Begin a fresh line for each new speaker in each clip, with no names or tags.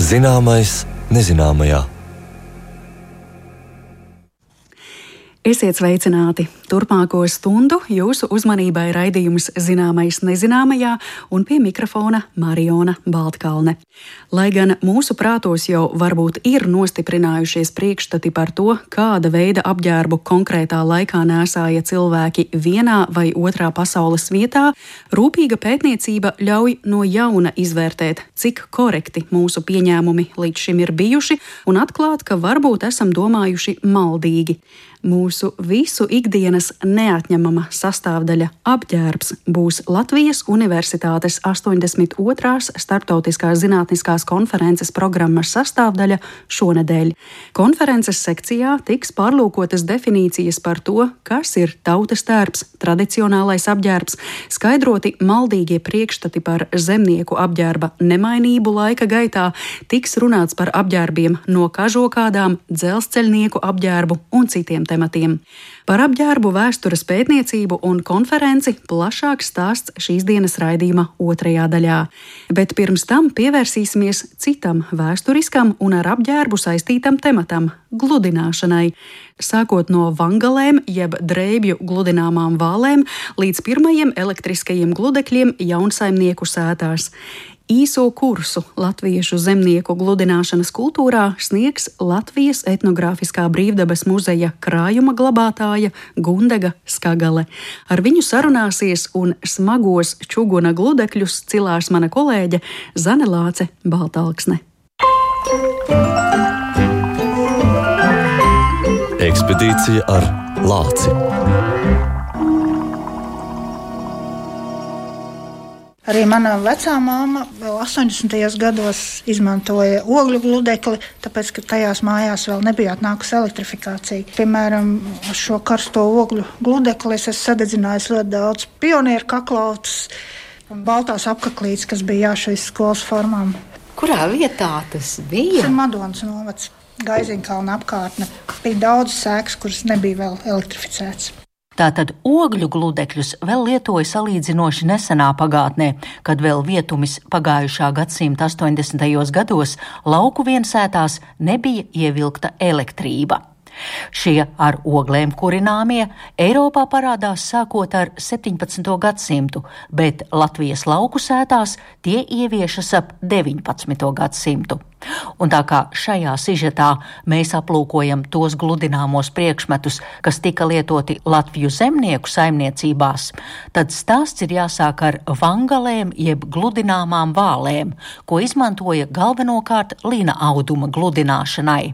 Zināmais nezināmajā.
Esiet sveicināti! Turpmāko stundu jūsu uzmanībai raidījums Zināmais nezināmajā un pie mikrofona Mariona Baltkalne. Lai gan mūsu prātos jau varbūt ir nostiprinājušies priekšstati par to, kāda veida apģērbu konkrētā laikā nēsāja cilvēki vienā vai otrā pasaules vietā, rūpīga pētniecība ļauj no jauna izvērtēt, cik korekti mūsu pieņēmumi līdz šim ir bijuši un atklāt, ka varbūt esam domājuši maldīgi. Mūsu visu ikdienas neatņemama sastāvdaļa apģērbs būs Latvijas Universitātes 82. Starptautiskās zinātniskās konferences programmas sastāvdaļa šonedēļ. Konferences sekcijā tiks pārlūkotas definīcijas par to, kas ir tautas tērps, tradicionālais apģērbs, skaidroti maldīgie priekšstati par zemnieku apģērba nemainību laika gaitā, tiks runāts par apģērbiem no kažokādām, dzelzceļnieku apģērbu un citiem tematiem. Par apģērbu vēstures pētniecību un konferenci plašāks stāsts šīs dienas raidījuma otrajā daļā. Bet pirms tam pievērsīsimies citam vēsturiskam un ar apģērbu saistītam tematam – gludināšanai. Sākot no vangalēm jeb drēbju gludināmām vālēm līdz pirmajiem elektriskajiem gludekļiem jaunsaimnieku sētās. Īso kursu latviešu zemnieku gludināšanas kultūrā sniegs Latvijas Etnogrāfiskā brīvdabas muzeja krājuma glabātāja Gundega Skagale. Ar viņu sarunāsies un smagos čuguna gludekļus cilās mana kolēģe Zane Lāce Baltalksne.
Ekspedīcija ar Lāci.
Arī mana vecā māma vēl 80. gados izmantoja ogļu gludekli, tāpēc, ka tajās mājās vēl nebija atnākusi elektrifikācija. Piemēram, šo karsto ogļu gludekli es esmu sadedzinājis ļoti daudz pionieru kaklautus un baltās apaklītes, kas bija jāšais skolas formām.
Kurā vietā tas bija?
Tas ir Madonas novads, Gaiziņkalna apkārtne. Bija daudz sēkas, kuras nebija vēl elektrificētas.
Tātad ogļu gludekļus vēl lietoja salīdzinoši nesenā pagātnē, kad vēl vietumis pagājušā gadsimta 80. gados lauku viensētās nebija ievilkta elektrība. Šie ar oglēm kurināmie Eiropā parādās sākot ar 17. gadsimtu, bet Latvijas lauku sētās tie ieviešas ap 19. gadsimtu. Un tā kā šajā sižetā mēs aplūkojam tos gludināmos priekšmetus, kas tika lietoti Latviju zemnieku saimniecībās, tad stāsts ir jāsāk ar vangalēm jeb gludināmām vālēm, ko izmantoja galvenokārt lina auduma gludināšanai.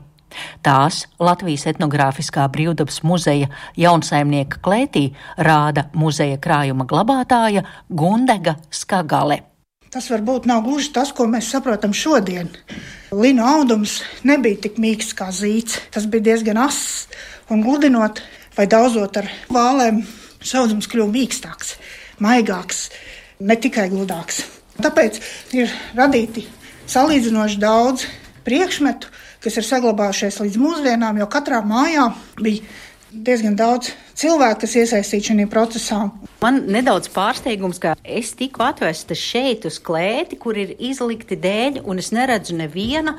Tās Latvijas Etnogrāfiskā brīvdabas muzeja jaunsaimnieka klētī rāda muzeja krājuma glabātāja Gundega Skagale.
Tas varbūt nav gluži tas, ko mēs saprotam šodien. Lina audums nebija tik mīksts kā zīts. Tas bija diezgan ass, un gludinot vai daudzot ar vālēm, audums kļuva mīkstāks, maigāks, ne tikai gludāks. Tāpēc ir radīti salīdzinoši daudz priekšmetu, kas ir saglabājušies līdz mūsdienām, jo katrā mājā bija diezgan daudz cilvēku, kas iesaistīti šajā procesā.
Man nedaudz pārsteigums, ka es tiku atvesta šeit uz klēti, kur ir izlikti dēļi, un es neredzu neviena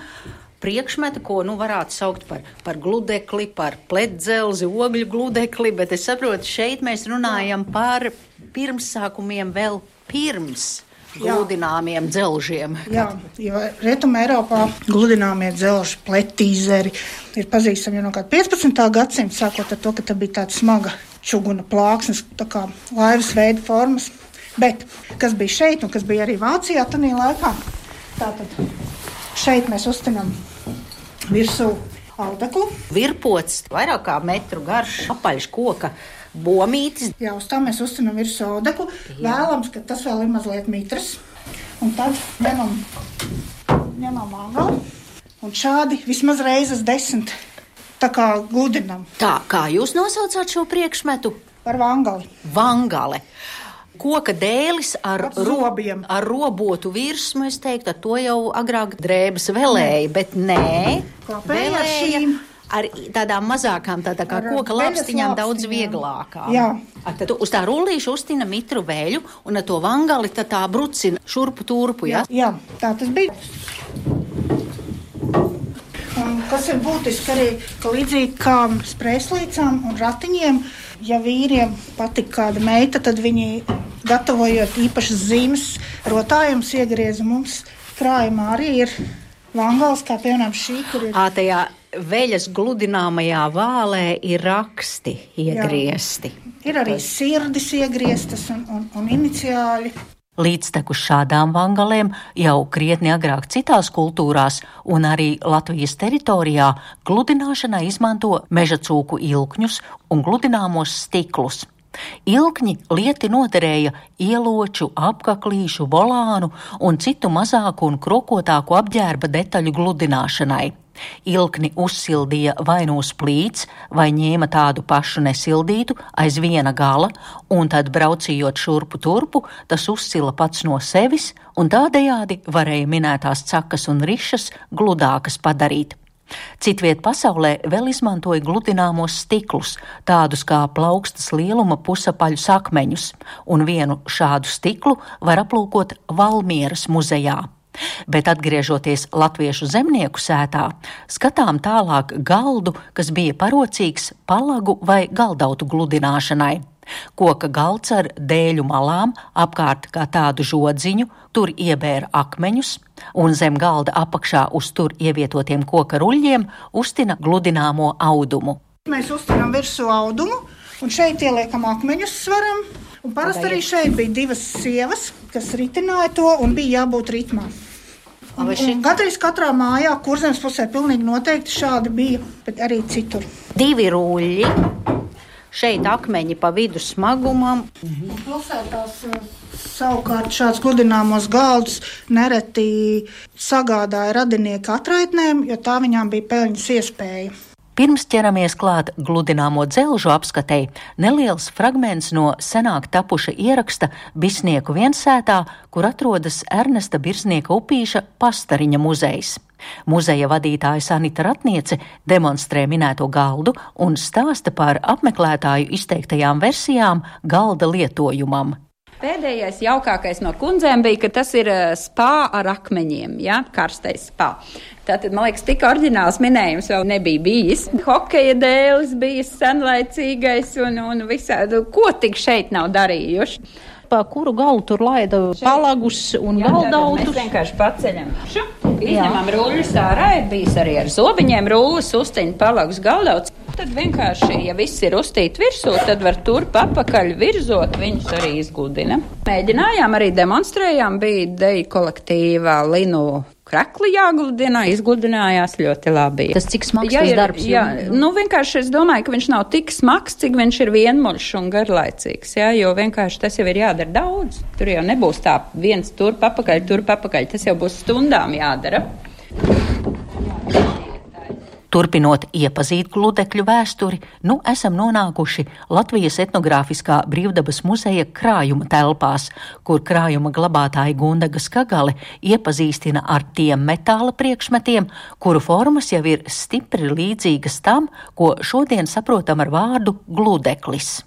priekšmeta, ko varētu saukt par gludekli, par pletdzelzi, ogļu gludekli, bet es saprotu, šeit mēs runājam par pirmsākumiem vēl pirms gludināmiem dzelžiem. Jā,
jo Rietumē Eiropā gludināmie dzelži, pletīzeri ir pazīstami jau no kāda 15. gadsimta, sākot ar to, ka tā bija tāda smaga čuguna plāksnes, tā kā laivas veida formas. Bet kas bija šeit un kas bija arī Vācijā tanī laikā, tātad šeit mēs uztinam virsū audeklu.
Virpots, vairāk kā metru garš, apaļš koka bomītis.
Jā, uz tā mēs uztinam virsū audeklu. Vēlams, ka tas vēl ir mazliet mitrs. Un tad ņemam vangali. Un šādi vismaz reizes 10 tā kā gludinam.
Tā, kā jūs nosaucāt šo priekšmetu?
Par vangali.
Vangale. Koka dēlis ar robotu virsmu, es teiktu, ar to jau agrāk drēbes velēja, bet nē, velēja ar tādām mazākām, tā kā koka lapstiņām daudz vieglākām.
Jā.
Tad uz tā rullīša uztina mitru veļu un ar to vangali tā brucina šurpu turpu, jā?
Jā, tā tas bija. Un kas ir būtiski arī, ka līdzīgi kā sprēslīcām un ratiņiem, ja vīriem patika kāda meita, tad viņi, gatavojot īpašas zīmes, rotājums iegrieza mums krājumā arī ir vangals, kā piemēram šī, kur ir.
Tajā veļas gludināmajā vālē ir raksti iegriezti.
Jā. Ir arī sirdis iegrieztas un iniciāļi.
Līdztekus šādām vangalēm jau krietni agrāk citās kultūrās un arī Latvijas teritorijā gludināšanai izmanto mežacūku ilkņus un gludināmos stiklus. Ilkņi lieti noderēja ieloču, apkaklīšu, volānu un citu mazāku un krokotāku apģērba detaļu gludināšanai. Ilkni uzsildīja vai nu uz plīts, vai ņēma tādu pašu nesildītu aiz viena gala, un tad braucījot šurpu turpu, tas uzsila pats no sevis, un tādējādi varēja minētās cakas un rišas gludākas padarīt. Citviet pasaulē vēl izmantoja gludināmos stiklus, tādus kā plaukstas lieluma pusapaļus akmeņus, un vienu šādu stiklu var aplūkot Valmieras muzejā. Bet atgriežoties latviešu zemnieku sētā, skatām tālāk galdu, kas bija parocīgs palagu vai galdautu gludināšanai. Koka galds ar dēļu malām, apkārt kā tādu žodziņu, tur iebēra akmeņus, un zem galda apakšā uz tur ievietotiem koka ruļļiem uztina gludināmo audumu.
Mēs uztinām virsū audumu, un šeit ieliekam akmeņus svaram, un parasti arī šeit bija divas sievas, kas ritināja to, un bija jābūt ritmā. Un gandrīz katrā mājā, Kurzemes pusē pilnīgi noteikti šādi bija, bet arī citur.
Divi ruļļi, šeit akmeņi pa vidu smagumam.
Pilsētās savukārt šāds gludināmos galdus nereti sagādāja radinieki atraitnēm, jo tā viņām bija peļņas iespēja.
Pirms ķeramies klāt gludināmo dzelžu apskatei, neliels fragments no senāk tapuša ieraksta Bisnieku viensētā, kur atrodas Ernesta Birznieka upīša Pastariņa muzejs. Muzeja vadītāja Sanita Ratniece demonstrē minēto galdu un stāsta par apmeklētāju izteiktajām versijām galda lietojumam.
Pēdējais jaukākais no kundzēm bija, ka tas ir spā ar akmeņiem, ja? Karstais spā. Tātad, man liekas, tik oriģināls minējums vēl nebija bijis. Hokeja dēlis bija senlaicīgais un visādi, ko tik šeit nav darījuši.
Pa kuru galu tur laida palagus un galdautus?
Mēs vienkārši paceļam šo, izņemam ruļļus ārā, ir bijis arī ar zobiņiem rullis, uztiņ palagus galdautus. Tad vienkārši, ja viss ir uztīt virsū, tad var turp apakaļ virzot, viņus arī izgludina. Mēģinājām, arī demonstrējām, bija deju kolektīvā Linu krekli jāgludina, izgludinājās ļoti labi.
Tas cik smags tas darbs?
Jā, vienkārši es domāju, ka viņš nav tik smags, cik viņš ir vienmuļš un garlaicīgs, jā, jo vienkārši tas jau ir jādara daudz. Tur jau nebūs tā viens turp apakaļ, tas jau būs stundām jādara.
Turpinot iepazīt gludekļu vēsturi, esam nonākuši Latvijas etnogrāfiskā brīvdabas muzeja krājuma telpās, kur krājuma glabātāja Gundaga Skagale iepazīstina ar tiem metāla priekšmetiem, kuru formas jau ir stipri līdzīgas tam, ko šodien saprotam ar vārdu gludeklis.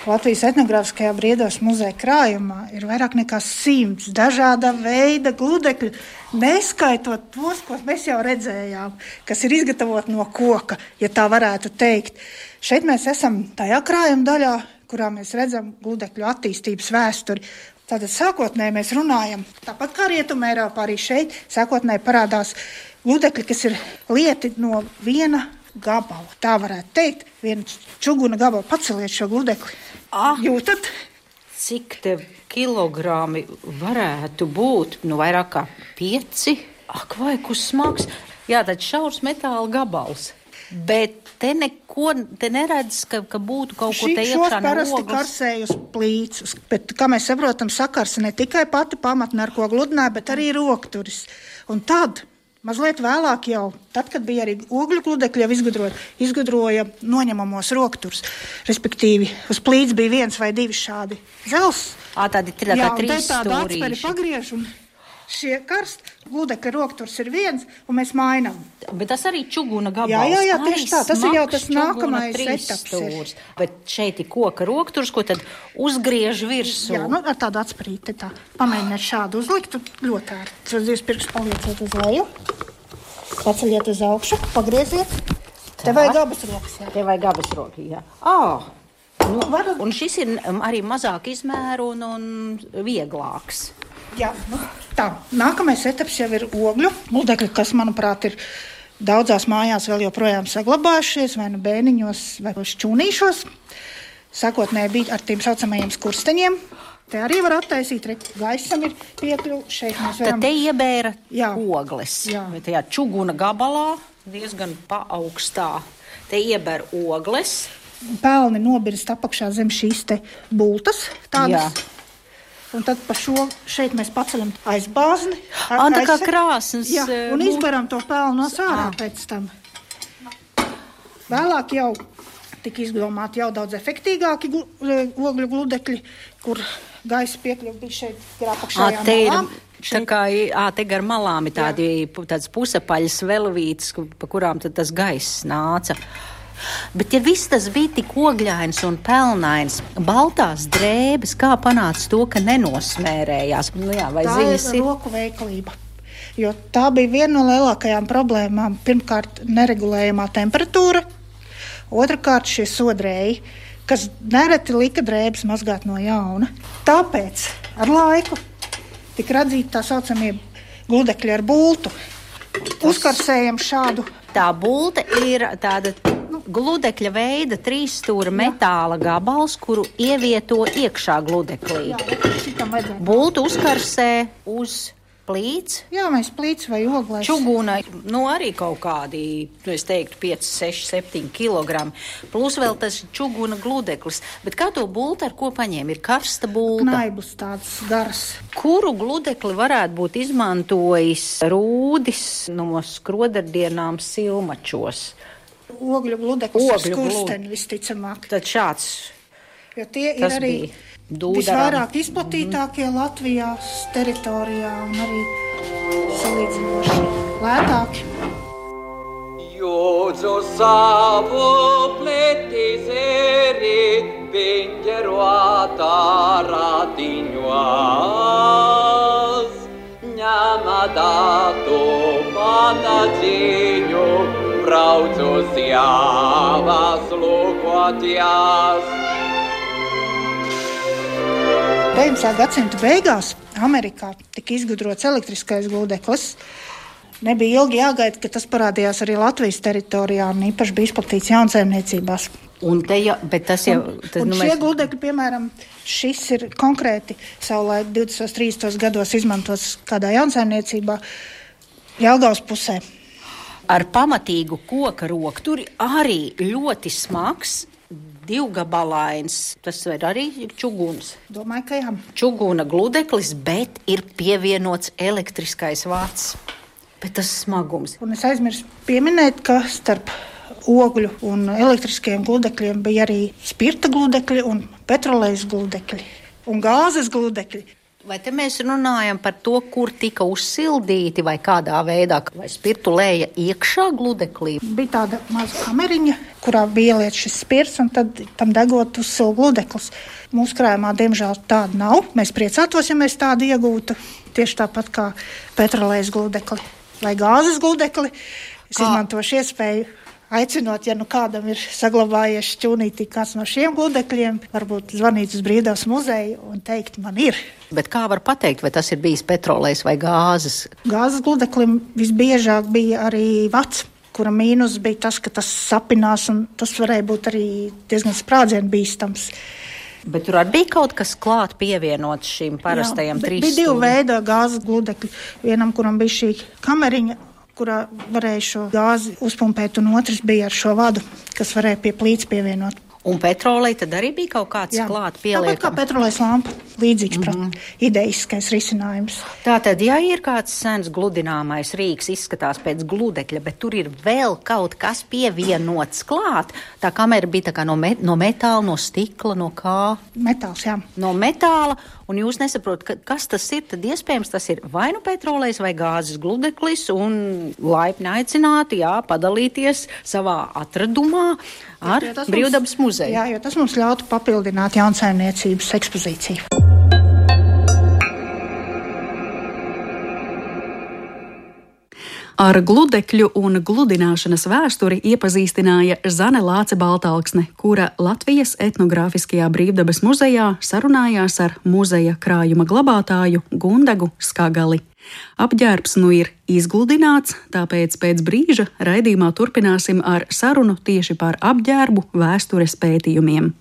Latvijas etnogrāfiskajā brīvdabas muzeja krājumā ir vairāk nekā 100 dažāda veida gludekļu, neskaitot tos, ko mēs jau redzējām, kas ir izgatavoti no koka, ja tā varētu teikt. Šeit mēs esam tajā krājuma daļā, kurā mēs redzam gludekļu attīstības vēsturi. Tātad sākotnēji mēs runājam, tāpat kā Rietumē Eiropā, arī šeit sākotnēji parādās gludekļi, kas ir lieti no viena gabalu. Tā varētu teikt, viena čuguna gabala. Paceliet šo gludekli. Jūtat?
Cik te kilogrami varētu būt? Vairāk kā 5. Ak, vai kus smags. Jā, tad šaurs metāla gabals. Bet te neredz, ka būtu kaut ko te iekšā no ogles.
Šos parasti karsēj uz plīcus, bet, kā mēs saprotam, sakarsa ne tikai pati pamatne, ar ko gludināja, bet arī rokturis. Un tad Mazliet vēlāk jau, tad, kad bija arī ogļu gludekļi, jau izgudroja noņemamos rokturus. Respektīvi, uz plīts bija 1 vai 2 šādi zels.
Tādi tā kā 3
stūrīši. Tāda atsperi pagriež, un šie karsti gludekļa rokturs ir 1, un mēs mainām.
Bet tas arī čuguna gabals.
Jā, tieši tā. Tas ir jau tas nākamais etaps.
Bet šeit ir koka rokturs, ko tad uzgriež virsū.
Jā, ar tādu atsprīti tā. Pamēģiniet šādu uzlikt, ļoti ārti. Uz 2 pirkstus palieciet uz leju, paceļiet uz augšu, pagrieziet. Te vajag abas rokas, jā.
Te vajag abas rokas, jā. Un šis ir arī mazāk izmēru un vieglāks.
Jā, tā. Nākamais etaps jau ir ogļu gludekļi, kas, manuprāt, ir daudzās mājās vēl joprojām saglabājušies, vai nu bēniņos, vai šķūnīšos. Sākotnēji bija ar tiem saucamajiem skursteņiem. Te arī var attaisīt, gaisam ir piekļuvi. Šeit mēs varam...
Tad te iebēra ogles. Tajā čuguna gabalā, diezgan paaugstā, te iebēra ogles.
Pelni nobirst apakšā zem šīs te bultas, tādas. Jā. Un tad pa šo šeit mēs paceļam aizbāzni.
Tā kā krāsnes.
Jā, un izbaram to pelnu no sārā pēc tam. Vēlāk jau tika izdomāti jau daudz efektīgāki ogļu gludekļi, kur gaisa piekļuva bija šeit apakšējām malām. Te gar malām ir tādas pusapaļas velvītes, pa kurām tad tas gaiss nāca. Bet, ja viss tas bija tik ogļains un pelnains, baltās drēbes, kā panāca to, ka nenosmērējās? Tā ir roku veiklība, jo tā bija viena no lielākajām problēmām. Pirmkārt, neregulējamā temperatūra, otrkārt šie sodrēji, kas nereti lika drēbes mazgāt no jauna. Tāpēc ar laiku tika radzīti tā saucamie gludekļi ar bultu. Uzkarsējam šādu.
Tā bulta ir tāda gludekļa veida 3-stūra metāla gabals, kuru ievieto iekšā gludeklī. Bultu uzkarsē uz plīts.
Jā, mēs plīts vai oglēs.
Čuguna, arī kaut kādi, es teiktu, 5, 6, 7 kilogrami. Plus vēl tas čuguna gludeklis. Bet kā to bultu ar ko paņēma? Ir karsta bulta.
Knaiblis tāds garas.
Kuru gludekli varētu būt izmantojis Rūdis no skrodardienām Silmačos?
Ogļu gludeklis ar skursteni visticamāk.
Tad šāds.
Jo tie ir arī visvairāk izplatītākie Latvijā teritorijā un arī salīdzinoši lētāki.
Jūdzu savu pletizeri vingeruātā radiņos, ņemadātu patadziņu, brauc uz jāvas lūkotjās.
19. gadsimta beigās Amerikā tika izgudrots elektriskais gludeklis. Nebija ilgi jāgaida, ka tas parādījās arī Latvijas teritorijā un īpaši bija izplatīts jaunsaimniecībās. Šie gludekļi, piemēram, šis ir konkrēti savulaik 20. 30. gados izmantots kādā jaunsaimniecībā Jelgavas pusē.
Ar pamatīgu koka rokturi arī ļoti smags. Divgabalains, tas ir arī čuguns.
Domāju, ka jā.
Čuguna gludeklis, bet ir pievienots elektriskais vats. Bet tas smagums.
Un es aizmirsu pieminēt, ka starp ogļu un elektriskiem gludekļiem bija arī spirta gludekļi un petrolejas gludekļi un gāzes gludekļi.
Vai te mēs runājam par to, kur tika uzsildīti vai kādā veidā, vai spirtu lēja iekšā gludeklī?
Bija tāda maza kameriņa, kurā bija ieliet šis spirts un tad tam degot uzsild gludeklis. Mūsu krājumā, diemžēl, tāda nav. Mēs priecātos, ja mēs tādu iegūtu, tieši tāpat kā petrolejas gludekli vai gāzes gludekli. Es izmantošu iespēju aicinot, ja kādam ir saglabājies šķūnītī kāds no šiem gludekļiem, varbūt zvanīt uz Brīvdabas muzeju un teikt, man ir.
Bet kā var pateikt, vai tas ir bijis petrolejs vai gāzes?
Gāzes gludeklim visbiežāk bija arī vats, kura mīnus bija tas, ka tas sapinās un tas varēja būt arī diezgan sprādzienu bīstams.
Bet tur arī bija kaut kas klāt pievienots šīm parastajām 3 stūriem?
Bija 2 veidi gāzes gludekļi. Vienam, kuram bija šī kameriņa, kurā varēja šo gāzi uzpumpēt, un otrs bija ar šo vadu, kas varēja pie plīts pievienot.
Un petroleja tad arī bija kaut kāds klāt pieliekams?
Tāpat kā petrolejas lampa. līdzīgs idejiskais risinājums.
Tātad, ja ir kāds sens gludināmais rīks, izskatās pēc gludekļa, bet tur ir vēl kaut kas pievienots klāt, tā kamera bija tā kā no metāla, no stikla, no kā?
Metāls, jā.
No metāla, un jūs nesaprotat, kas tas ir, tad iespējams tas ir vai nu petrolejs vai gāzes gludeklis, un laipni aicināti, padalīties savā atradumā ar Brīvdabas muzeju.
Jā, jo tas mums ļautu papildināt jaunsaimniecības ekspozīciju.
Ar gludekļu un gludināšanas vēsturi iepazīstināja Zane Lāce-Baltalksne, kura Latvijas etnogrāfiskajā Brīvdabas muzejā sarunājās ar muzeja krājuma glabātāju Gundagu Skagali. Apģērbs nu ir izgludināts, tāpēc pēc brīža raidījumā turpināsim ar sarunu tieši par apģērbu vēstures pētījumiem.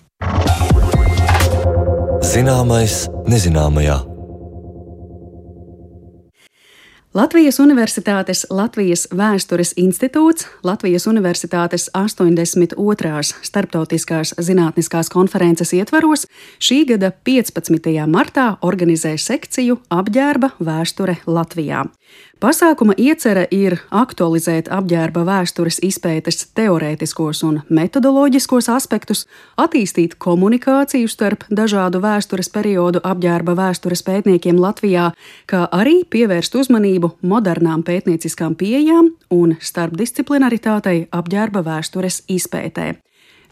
Zināmais nezināmajā.
Latvijas Universitātes Latvijas Vēstures institūts Latvijas Universitātes 82. Starptautiskās zinātniskās konferences ietvaros šī gada 15. martā organizē sekciju Apģērba vēsture Latvijā. Pasākuma iecere ir aktualizēt apģērba vēstures izpētes teorētiskos un metodoloģiskos aspektus, attīstīt komunikāciju starp dažādu vēstures periodu apģērba vēstures pētniekiem Latvijā, kā arī pievērst uzmanību modernām pētnieciskām pieejām un starpdisciplinaritātei apģērba vēstures izpētē.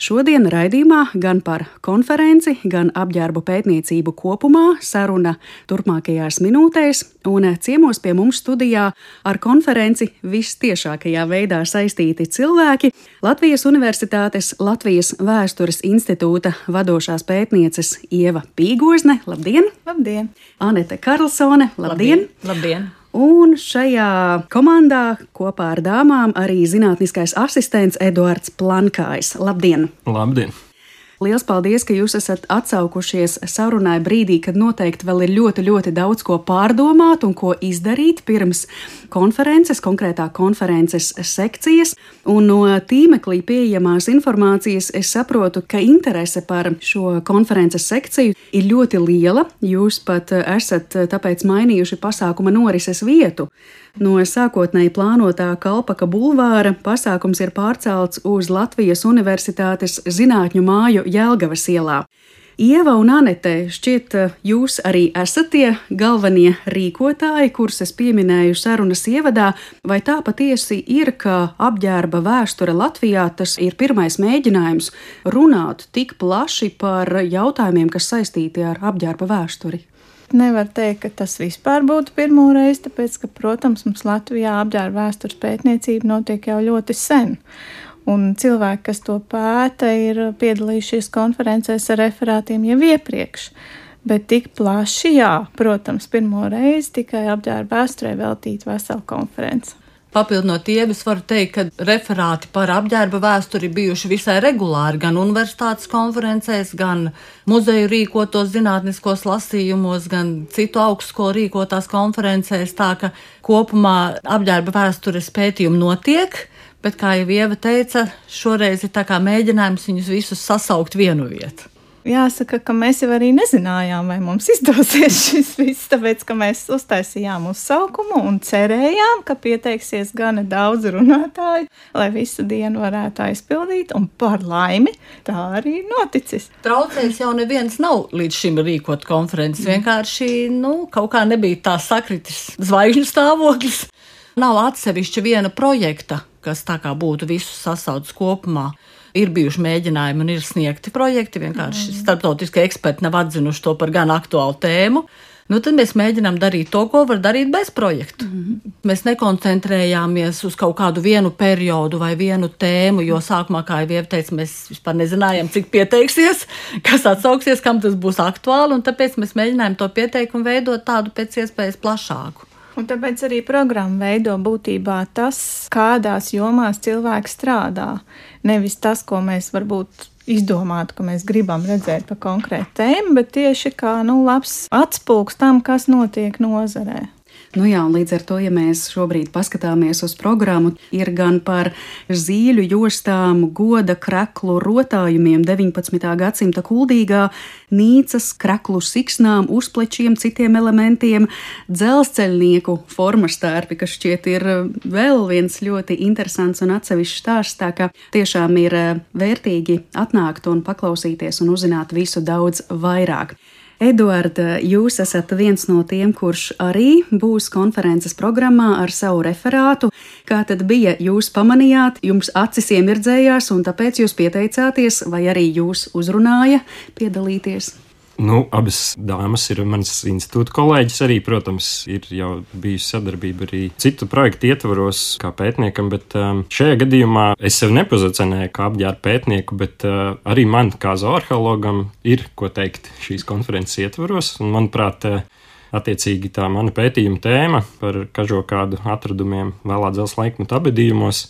Šodien raidījumā gan par konferenci, gan apģērbu pētniecību kopumā saruna turpmākajās minūtēs, un ciemos pie mums studijā ar konferenci vistiešākajā veidā saistīti cilvēki – Latvijas Universitātes Latvijas Vēstures institūta vadošās pētnieces Ieva Pīgozne. Labdien!
Labdien!
Anete Karlsone. Labdien!
Labdien!
Un šajā komandā kopā ar dāmām arī zinātniskais asistents Eduards Plankājs. Labdien!
Labdien!
Liels paldies, ka jūs esat atsaukušies sarunai brīdī, kad noteikti vēl ir ļoti, ļoti daudz ko pārdomāt un ko izdarīt pirms konferences, konkrētā konferences sekcijas. Un no tīmeklī pieejamās informācijas es saprotu, ka interese par šo konferences sekciju ir ļoti liela. Jūs pat esat tāpēc mainījuši pasākuma norises vietu. No sākotnēji plānotā Kalpaka bulvāra pasākums ir pārcelts uz Latvijas Universitātes zinātņu māju Jelgavas ielā. Ieva un Anete, šķiet, jūs arī esat tie galvenie rīkotāji, kurus es pieminēju sarunas ievadā, vai tā patiesi ir, ka apģērba vēsture Latvijā tas ir pirmais mēģinājums runāt tik plaši par jautājumiem, kas saistīti ar apģērba vēsturi?
Nevar teikt, ka tas vispār būtu pirmo reizi, tāpēc, ka, protams, mums Latvijā apģērba vēstures pētniecība notiek jau ļoti sen. Un cilvēki, kas to pēta, ir piedalījušies konferencēs ar referātiem jau iepriekš. Bet tik plaši, jā, protams, pirmo reizi tikai apģērba vēsturē veltīt veselu konferenci.
Papildinot Ievu, varu teikt, ka referāti par apģērba vēsturi bijuši visai regulāri gan universitātes konferencēs, gan muzeju rīkotos zinātniskos lasījumos, gan citu augstskolu rīkotās konferencēs, tā ka kopumā apģērba vēstures pētījumi notiek, bet, kā jau Ieva teica, šoreiz ir tā kā mēģinājums viņus visus sasaukt vienu vietu.
Jāsaka, ka mēs jau arī nezinājām, vai mums izdosies šis viss, tāpēc, ka mēs uztaisījām uzsaukumu un cerējām, ka pieteiksies gana daudz runātāju, lai visu dienu varētu aizpildīt, un par laimi tā arī noticis.
Traucējis jau neviens nav līdz šim rīkot konferences, vienkārši, kaut kā nebija tā sakritis zvaigžņu stāvoklis. Nav atsevišķa viena projekta, kas tā kā būtu visus sasaucis kopumā. Ir bijuši mēģinājumi un ir sniegti projekti, vienkārši starptautiskie eksperti nav atzinuši to par gan aktuālu tēmu. Tad mēs mēģinām darīt to, ko var darīt bez projektu. Mēs nekoncentrējāmies uz kaut kādu vienu periodu vai vienu tēmu, jo sākumā, kā jau Ieva teica, mēs vispār nezinājām, cik pieteiksies, kas atsauksies, kam tas būs aktuāli, un tāpēc mēs mēģinājām to pieteikumu veidot tādu pēc iespējas plašāku.
Un tāpēc arī programma veido būtībā tas, kādās jomās cilvēki strādā. Nevis tas, ko mēs varbūt izdomātu, ka mēs gribam redzēt pa konkrētu tēmu, bet tieši kā labs atspūgs tam, kas notiek nozarē.
Nu jā, un līdz ar to, ja mēs šobrīd paskatāmies uz programmu, ir gan par zīļu jostām, goda kreklu rotājumiem 19. gadsimta kuldīgā, nīcas kreklu siksnām, uzplečiem, citiem elementiem, dzelzceļnieku formas tērpi, kas šķiet ir vēl viens ļoti interesants un atsevišķs stāsts, tā ka tiešām ir vērtīgi atnākt un paklausīties un uzzināt visu daudz vairāk. Eduarda, jūs esat viens no tiem, kurš arī būs konferences programmā ar savu referātu. Kā tad bija? Jūs pamanījāt, jums acis iemirdzējās, un tāpēc jūs pieteicāties, vai arī jūs uzrunāja piedalīties?
Abas dāmas ir manas institūta kolēģis arī, protams, ir jau bijusi sadarbība arī citu projektu ietvaros kā pētniekam, bet šajā gadījumā es sev nepozicionēju kā apģērba pētnieku, bet arī man kā zooarheologam ir ko teikt šīs konferences ietvaros, un manuprāt, attiecīgi tā mana pētījuma tēma par kažokādu atradumiem vēlā dzelzs laikmetu apbedījumos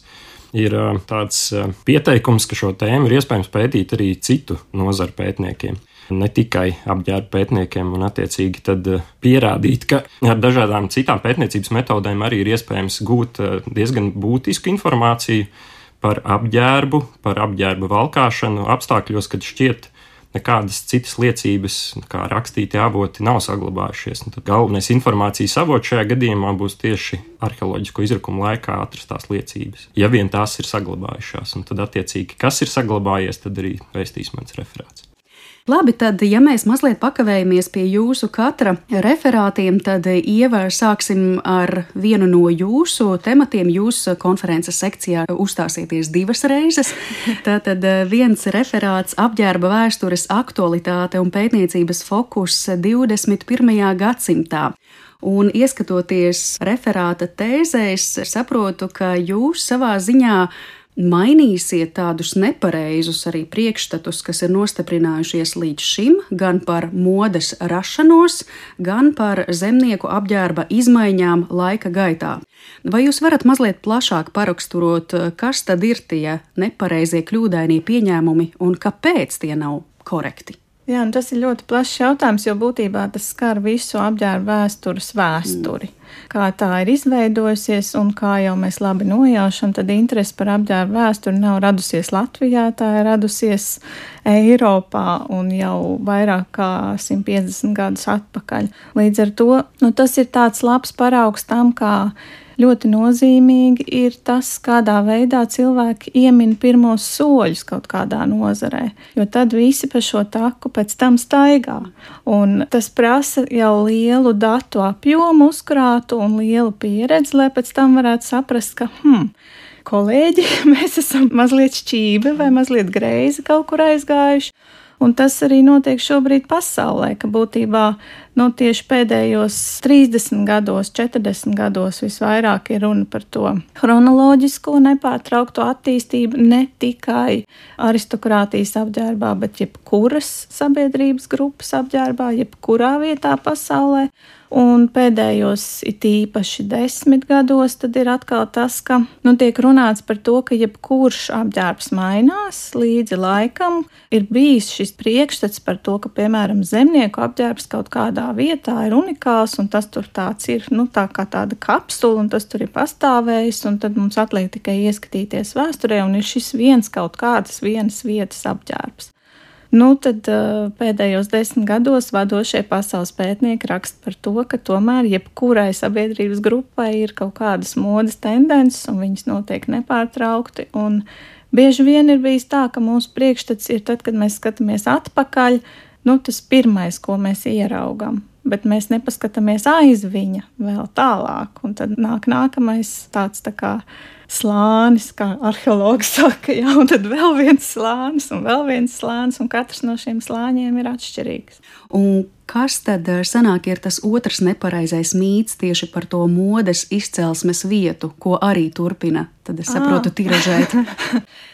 ir tāds pieteikums, ka šo tēmu ir iespējams pētīt arī citu nozaru pētniekiem. Ne tikai apģērba pētniekiem, un attiecīgi tad pierādīt, ka ar dažādām citām pētniecības metodēm arī ir iespējams gūt diezgan būtisku informāciju par apģērbu, par apģērba valkāšanu apstākļos, kad šķiet nekādas citas liecības, kā rakstīti avoti, nav saglabājušies. Tad galvenais informācijas avots šajā gadījumā būs tieši arheoloģisko izrakumu laikā atrastās liecības, ja vien tās ir saglabājušās. Un tad attiecīgi, kas ir saglabājies, tad arī vēstīs mans referāts.
Labi, tad, ja mēs mazliet pakavējamies pie jūsu katra referātiem, tad, Ieva, sāksim ar vienu no jūsu tematiem. Jūs konferences sekcijā uzstāsieties 2 reizes. Tātad viens referāts apģērba vēstures aktualitāte un pētniecības fokus 21. gadsimtā. Un ieskatoties referāta tēzēs, saprotu, ka jūs savā ziņā mainīsiet tādus nepareizus arī priekšstatus, kas ir nostiprinājušies līdz šim, gan par modes rašanos, gan par zemnieku apģērba izmaiņām laika gaitā. Vai jūs varat mazliet plašāk paraksturot, kas tad ir tie nepareizie kļūdainie pieņēmumi un kāpēc tie nav korekti?
Jā, un tas ir ļoti plašs jautājums, jo būtībā tas skar visu apģērba vēstures vēsturi. Kā tā ir izveidojusies, un kā jau mēs labi nojaušam, tad interese par apģērba vēsturi nav radusies Latvijā, tā ir radusies Eiropā un jau vairāk kā 150 gadus atpakaļ. Līdz ar to tas ir tāds labs paraugs tam, kā ļoti nozīmīgi ir tas, kādā veidā cilvēki iemin pirmos soļus kaut kādā nozarē, jo tad visi pa šo taku pēc tam staigā. Un tas prasa jau lielu datu apjomu uzkrātu un lielu pieredzi, lai pēc tam varētu saprast, ka kolēģi, mēs esam mazliet šķīvi vai mazliet greizi kaut kur aizgājuši. Un tas arī notiek šobrīd pasaulē, ka būtībā tieši pēdējos 30 gados, 40 gados visvairāk ir runa par to chronoloģisko nepārtraukto attīstību ne tikai aristokrātijas apģērbā, bet jebkuras sabiedrības grupas apģērbā, jebkurā vietā pasaulē. Un pēdējos it īpaši 10 gados tad ir atkal tas, ka tiek runāts par to, ka jebkurš apģērbs mainās līdzi laikam. Ir bijis šis priekšstats par to, ka, piemēram, zemnieku apģērbs kaut kādā vietā ir unikāls, un tas tur tāds ir, tā kā tāda kapsula, un tas tur ir pastāvējis, un tad mums atliek tikai ieskatīties vēsturē, un ir šis vienas vietas apģērbs. Tad pēdējos 10 gados vadošie pasaules pētnieki raksta par to, ka tomēr jebkurai sabiedrības grupai ir kaut kādas modes tendences, un viņas notiek nepārtraukti. Un bieži vien ir bijis tā, ka mūsu priekšstats ir tad, kad mēs skatāmies atpakaļ, tas pirmais, ko mēs ieraugam. Bet mēs nepaskatāmies aiz viņa vēl tālāk, un tad nāk nākamais tāds tā kā slānis, kā arheologi saka, un tad vēl viens slānis, un katrs no šiem slāņiem ir atšķirīgs.
Un kas tad sanāk ir tas otrs nepareizais mīts tieši par to modes izcelsmes vietu, ko arī turpina, tad es saprotu, tiražēt?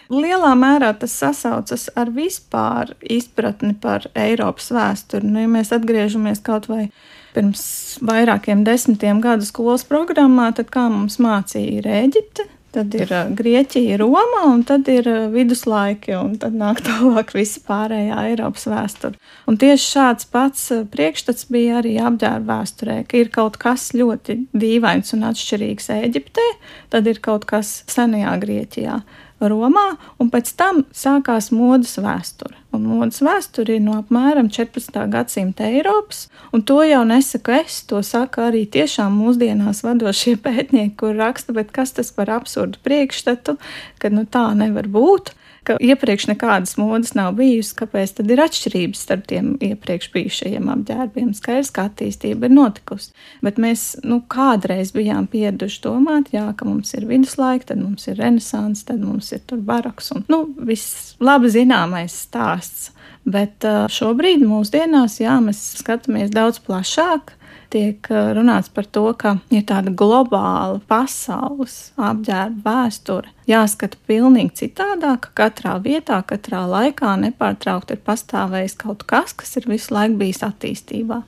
Lielā mērā tas sasaucas ar vispār izpratni par Eiropas vēsturi. Ja mēs atgriežamies kaut vai pirms vairākiem 10 gadu skolas programmā, tad kā mums mācīja ir Ēģipte, Tad ir Grieķija, Roma, un tad ir viduslaiki, un tad nāk tālāk visa pārējā Eiropas vēsture. Un tieši šāds pats priekšstats bija arī apģērba vēsturē, ka ir kaut kas ļoti dīvains un atšķirīgs Ēģiptē, tad ir kaut kas senajā Grieķijā, Romā, un pēc tam sākās modes vēsture. Un modes vēsture ir no apmēram 14. gadsimta Eiropas, un to jau nesaku es, to saka arī tiešām mūsdienās vadošie pētnieki, kur raksta, bet kas tas par absurdu priekšstatu, ka tā nevar būt, ka iepriekš nekādas modes nav bijusi, kāpēc tad ir atšķirības starp tiem iepriekš bijušajiem apģērbiem. Skaidrs, ka attīstība ir notikusi, bet mēs kādreiz bijām pieraduši domāt, ka mums ir viduslaika, tad mums ir renesanss, tad mums ir tur baroks un viss labi zināmais stāsts. Bet šobrīd mūsdienās, mēs skatāmies daudz plašāk. Tiek runāts par to, ka ir tāda globāla pasaules apģērba vēsture. Jāskata pilnīgi citādāk, ka katrā vietā, katrā laikā nepārtraukti ir pastāvējis kaut kas, kas ir visu laiku bijis attīstībā.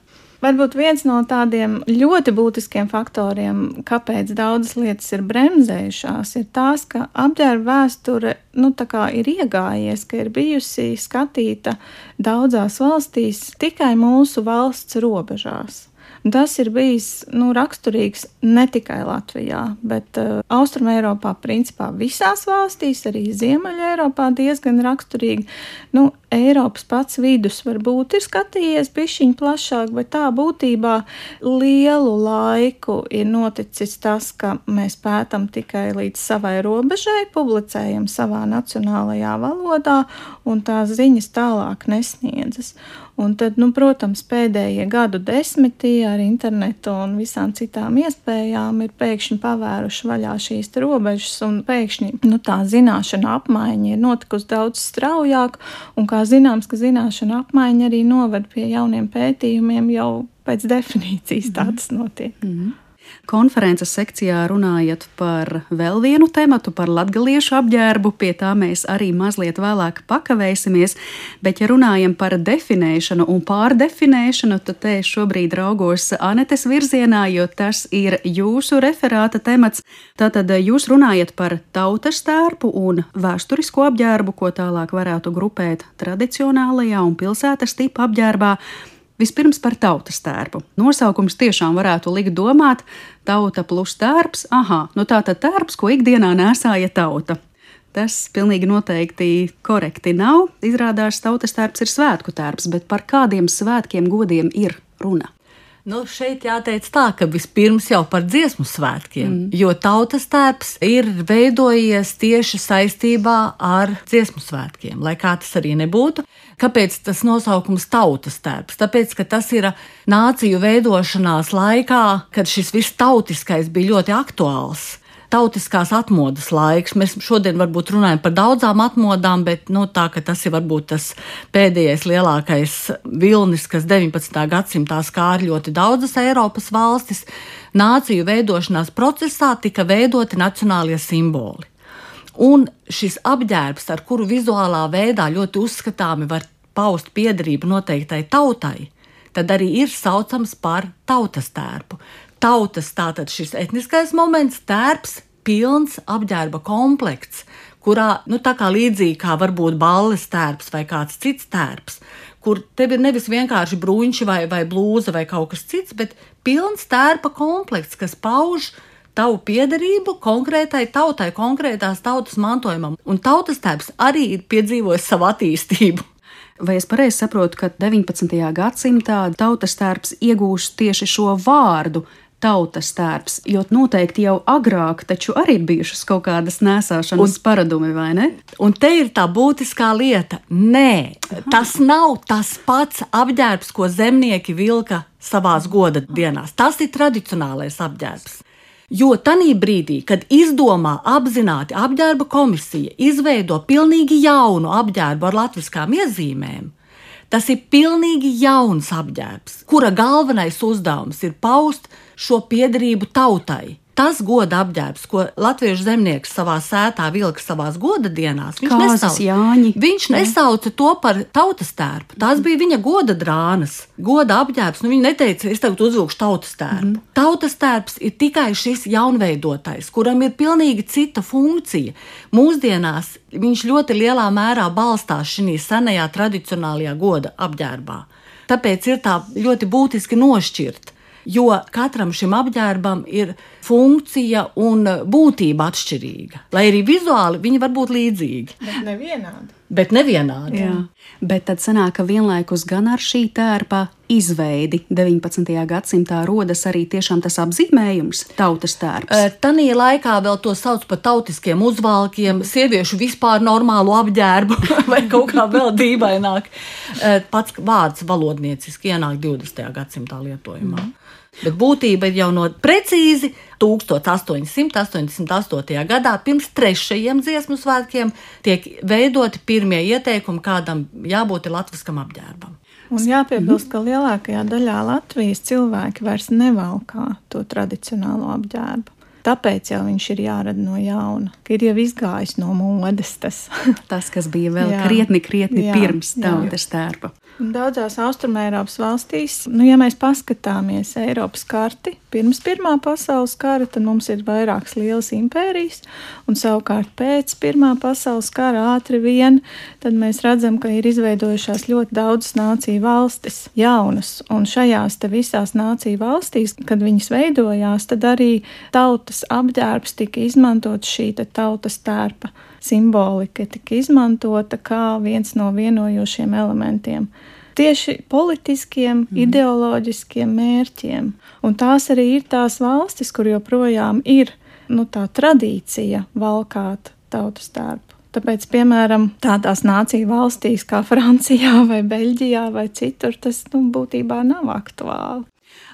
Varbūt viens no tādiem ļoti būtiskiem faktoriem, kāpēc daudzas lietas ir bremzējušās, ir tās, ka apģērba vēsture ir iegājies, ka ir bijusi skatīta daudzās valstīs tikai mūsu valsts robežās. Tas ir bijis raksturīgs ne tikai Latvijā, bet Austrumeiropā principā visās valstīs, arī Ziemeļeiropā diezgan raksturīgi. Eiropas pats vidus varbūt ir skatījies bišķiņ plašāk, bet tā būtībā lielu laiku ir noticis tas, ka mēs pētam tikai līdz savai robežai, publicējam savā nacionālajā valodā un tās ziņas tālāk nesniedzas. Un tad, protams, pēdējie gadu desmiti ar internetu un visām citām iespējām ir pēkšņi pavēruši vaļā šīs robežas un pēkšņi tā zināšana apmaiņa ir notikusi daudz straujāk un kā zināms, ka zināšana apmaiņa arī noved pie jauniem pētījumiem jau pēc definīcijas tā tas notiek.
Konferences sekcijā runājat par vēl vienu tematu, par latgaliešu apģērbu, pie tā mēs arī mazliet vēlāk pakavēsimies, bet ja runājam par definēšanu un pārdefinēšanu, tad te šobrīd raugos Anetes virzienā, jo tas ir jūsu referāta temats. Tātad jūs runājat par tautas tērpu un vēsturisko apģērbu, ko tālāk varētu grupēt tradicionālajā un pilsētas tipa apģērbā. Vispirms par tautas tērpu. Nosaukums tiešām varētu likt domāt tauta plus tērps. Tātad tērps, ko ikdienā nēsāja tauta. Tas pilnīgi noteikti korekti nav. Izrādās tautas tērps ir svētku tērps, bet par kādiem svētkiem godiem ir runa?
Šeit jāteic tā, ka vispirms jau par dziesmu svētkiem, jo tautas tērps ir veidojies tieši saistībā ar dziesmu svētkiem, lai kā tas arī nebūtu. Kāpēc tas nosaukums tautas tērps? Tāpēc, ka tas ir nāciju veidošanās laikā, kad šis viss tautiskais bija ļoti aktuāls. Tautiskās atmodas laiks. Mēs šodien varbūt runājam par daudzām atmodām, bet tā, ka tas ir varbūt tas pēdējais lielākais vilnis, kas 19. gadsimtā skāra ļoti daudzas Eiropas valstis, nāciju veidošanās procesā tika veidoti nacionālie simboli. Un šis apģērbs, ar kuru vizuālā veidā ļoti uzskatāmi var paust piederību noteiktai tautai, tad arī ir saucams par tautas tērpu. Tautas tātad šis etniskais moments, tērps, pilns apģērba komplekts, kurā, tā kā līdzīgi kā varbūt balles tērps vai kāds cits tērps, kur tev ir nevis vienkārši bruņši vai blūza vai kaut kas cits, bet pilns tērpa komplekts, kas pauž tavu piederību konkrētai tautai, konkrētās tautas mantojumam. Un tautas tērps arī ir piedzīvojis savu attīstību.
Vai es pareizi saprotu, ka 19. gadsimtā tautas tērps iegūst tieši šo vārdu tautas tērps, jo noteikti jau agrāk taču arī ir bijušas kaut kādas nēsāšanas paradumi, vai ne?
Un te ir tā būtiskā lieta. Nē, tas nav tas pats apģērbs, ko zemnieki vilka savās goda dienās. Tas ir tradicionālais apģērbs. Jo tanī brīdī, kad izdomā apzināti apģērba komisija, izveido pilnīgi jaunu apģērbu ar latviskām iezīmēm, tas ir pilnīgi jauns apģērbs, kura galvenais uzdevums ir paust šo piederību tautai. Tas goda apģērbs, ko latviešu zemnieks savā sētā vilka savās goda dienās, viņš nesauca to par tautas tērpu. Tās bija viņa goda drānas, goda apģērbs. Viņi neteica, es tagad uzvilkšu tautas tērpu. Tautas tērps ir tikai šis jaunveidotais, kuram ir pilnīgi cita funkcija. Mūsdienās viņš ļoti lielā mērā balstās šī senajā tradicionālajā goda apģērbā. Tāpēc ir tā ļoti būtiski nošķirt. Jo katram šim apģērbam ir funkcija un būtība atšķirīga. Lai arī vizuāli viņi var būt līdzīgi. Bet nevienādi.
Jā. Bet tad sanāk, ka vienlaikus gan ar šī tērpa izveidi 19. gadsimtā rodas arī tiešām tas apzīmējums tautas tērps.
Tanī laikā vēl to sauc par tautiskiem uzvalkiem, sieviešu vispār normālu apģērbu vai kaut kā vēl dīvaināk. Pats vārds valodnieciski ienāk 20. gadsimtā lietojumā. Bet būtība ir jau no precīzi 1888. gadā, pirms 3. dziesmu svētkiem, tiek veidoti pirmie ieteikumi, kādam jābūt latviskam apģērbam.
Un jāpiebilst, ka lielākajā daļā Latvijas cilvēki vairs nevalkā to tradicionālo apģērbu. Tāpēc jau viņš ir jārada no jauna, ka ir jau izgājis no modes tas.
Tas, kas bija vēl krietni pirms tautas tērpa.
Daudzās Austrumēropas valstīs, ja mēs paskatāmies Eiropas karti, pirms Pirmā pasaules kara, tad mums ir vairākas lielas impērijas, un savukārt pēc Pirmā pasaules kara ātri vien, tad mēs redzam, ka ir izveidojušās ļoti daudzas nāciju valstis, jaunas, un šajās te visās nāciju valstīs, kad viņas veidojās, tad arī tautas apģērbs tika izmantot, šī tautas tērpa simbolika tika izmantota kā viens no vienojošiem elementiem. Tieši politiskiem, ideoloģiskiem mērķiem. Un tās arī ir tās valstis, kur joprojām ir tā tradīcija valkāt tautas tērpu. Tāpēc, piemēram, tādās nāciju valstīs kā Francijā vai Beļģijā vai citur, tas būtībā nav aktuāli.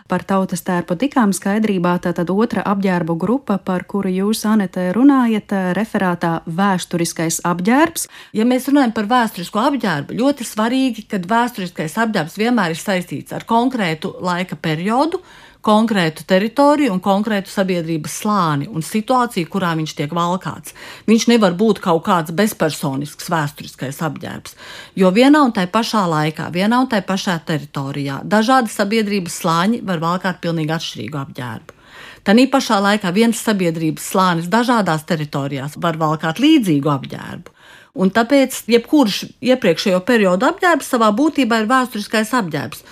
Par tautas tērpu tikām skaidrībā, tātad otra apģērbu grupa, par kuru jūs, Anete, runājat, referātā vēsturiskais apģērbs.
Ja mēs runājam par vēsturisko apģērbu, ļoti svarīgi, ka vēsturiskais apģērbs vienmēr ir saistīts ar konkrētu laika periodu, konkrētu teritoriju un konkrētu sabiedrības slāni un situāciju, kurā viņš tiek valkāts. Viņš nevar būt kaut kāds bezpersonisks vēsturiskais apģērbs, jo vienā un tai pašā laikā, vienā un tai pašā teritorijā dažādi sabiedrības slāņi var valkāt pilnīgi atšķirīgu apģērbu. Tanī pašā laikā viens sabiedrības slānis dažādās teritorijās var valkāt līdzīgu apģērbu. Un tāpēc jebkurš iepriekšējo periodu apģērbs savā būtībā ir vēsturiskais apģērbs.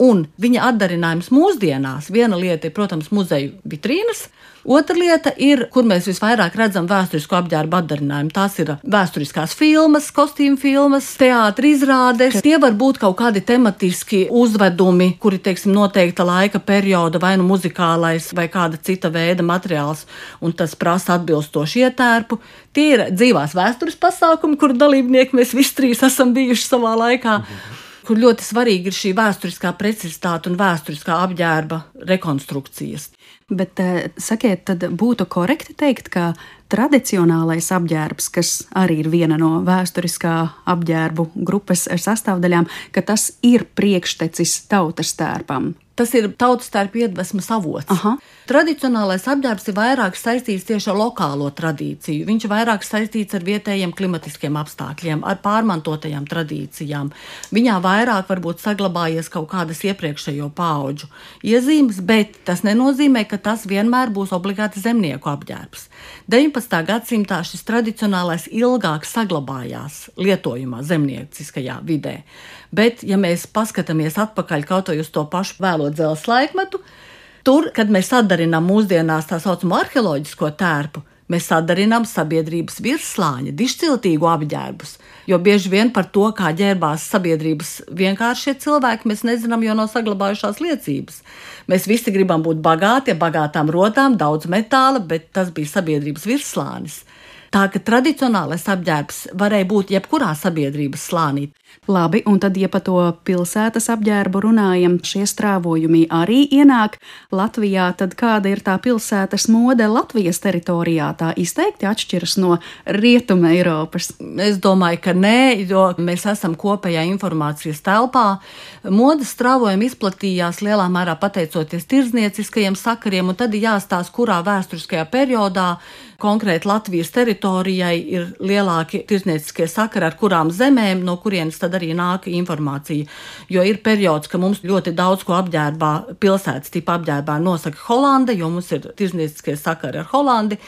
Un viņa atdarinājums mūsdienās, viena lieta ir, protams, muzeju vitrīnas, otra lieta ir, kur mēs visvairāk redzam vēsturisko apģērbu atdarinājumu. Tās ir vēsturiskās filmas, kostīmu filmas, teātra izrādes. Tie var būt kaut kādi tematiski uzvedumi, kuri, noteikta laika perioda, vai nu muzikālais, vai kāda cita veida materiāls, un tas prasa atbilstoši ietērpu. Tie ir dzīvās vēstures pasākumi, kur dalībnieki mēs visi trīs esam bijuši savā laikā. Kur ļoti svarīgi ir šī vēsturiskā precizitāte un vēsturiskā apģērba rekonstrukcijas.
Bet, sakiet, tad būtu korekti teikt, ka tradicionālais apģērbs, kas arī ir viena no vēsturiskā apģērbu grupas sastāvdaļām, ka tas ir priekštecis tautas tērpam.
Tas ir tautas tērpa iedvesmas avots.
Aha.
Tradicionālais apģērbs ir vairāk saistīts tieši ar lokālo tradīciju. Viņš ir vairāk saistīts ar vietējiem klimatiskiem apstākļiem, ar pārmantotajām tradīcijām. Viņā vairāk varbūt saglabājies kaut kādas iepriekšējo paudžu iezīmes, bet tas nenozīmē, ka tas vienmēr būs obligāti zemnieku apģērbs. 19. gadsimtā šis tradicionālais ilgāk saglabājās lietojumā zemnieciskajā vidē. Bet, ja mēs paskatāmies atpakaļ kaut vai uz to pašu vēlo dzelzs laikmetu, tur, kad mēs atdarinām mūsdienās tā saucamo arheoloģisko tērpu, mēs atdarinām sabiedrības virsslāņa, dišciltīgu apģērbus, jo bieži vien par to, kā ģērbās sabiedrības vienkāršie cilvēki, mēs nezinām, jo nav saglabājušās liecības. Mēs visi gribam būt bagāti, ar bagātām rotām, daudz metāla, bet tas bija sabiedrības virsslānis. Tā ka tradicionālais apģērbs varēja būt jebkurā sabiedrības slānī.
Labi, un tad, ja par to pilsētas apģērbu runājam, šie strāvojumi arī ienāk Latvijā, tad kāda ir tā pilsētas mode Latvijas teritorijā? Tā izteikti atšķiras no Rietuma Eiropas.
Es domāju, ka nē, jo mēs esam kopējā informācijas telpā. Modes strāvojumi izplatījās lielā mērā pateicoties tirdznieciskajiem sakariem, un tad ir jāstāsta, kurā vēsturiskajā periodā konkrēti Latvijas teritorijai ir lielāki tirdznieciskie sakari ar kurām zemēm, no kurienes tad arī nāk informācija. Jo ir periods, ka mums ļoti daudz ko apģērbā, pilsētas tipa apģērbā nosaka Holanda, jo mums ir tirdznieciskie sakari ar Holandi.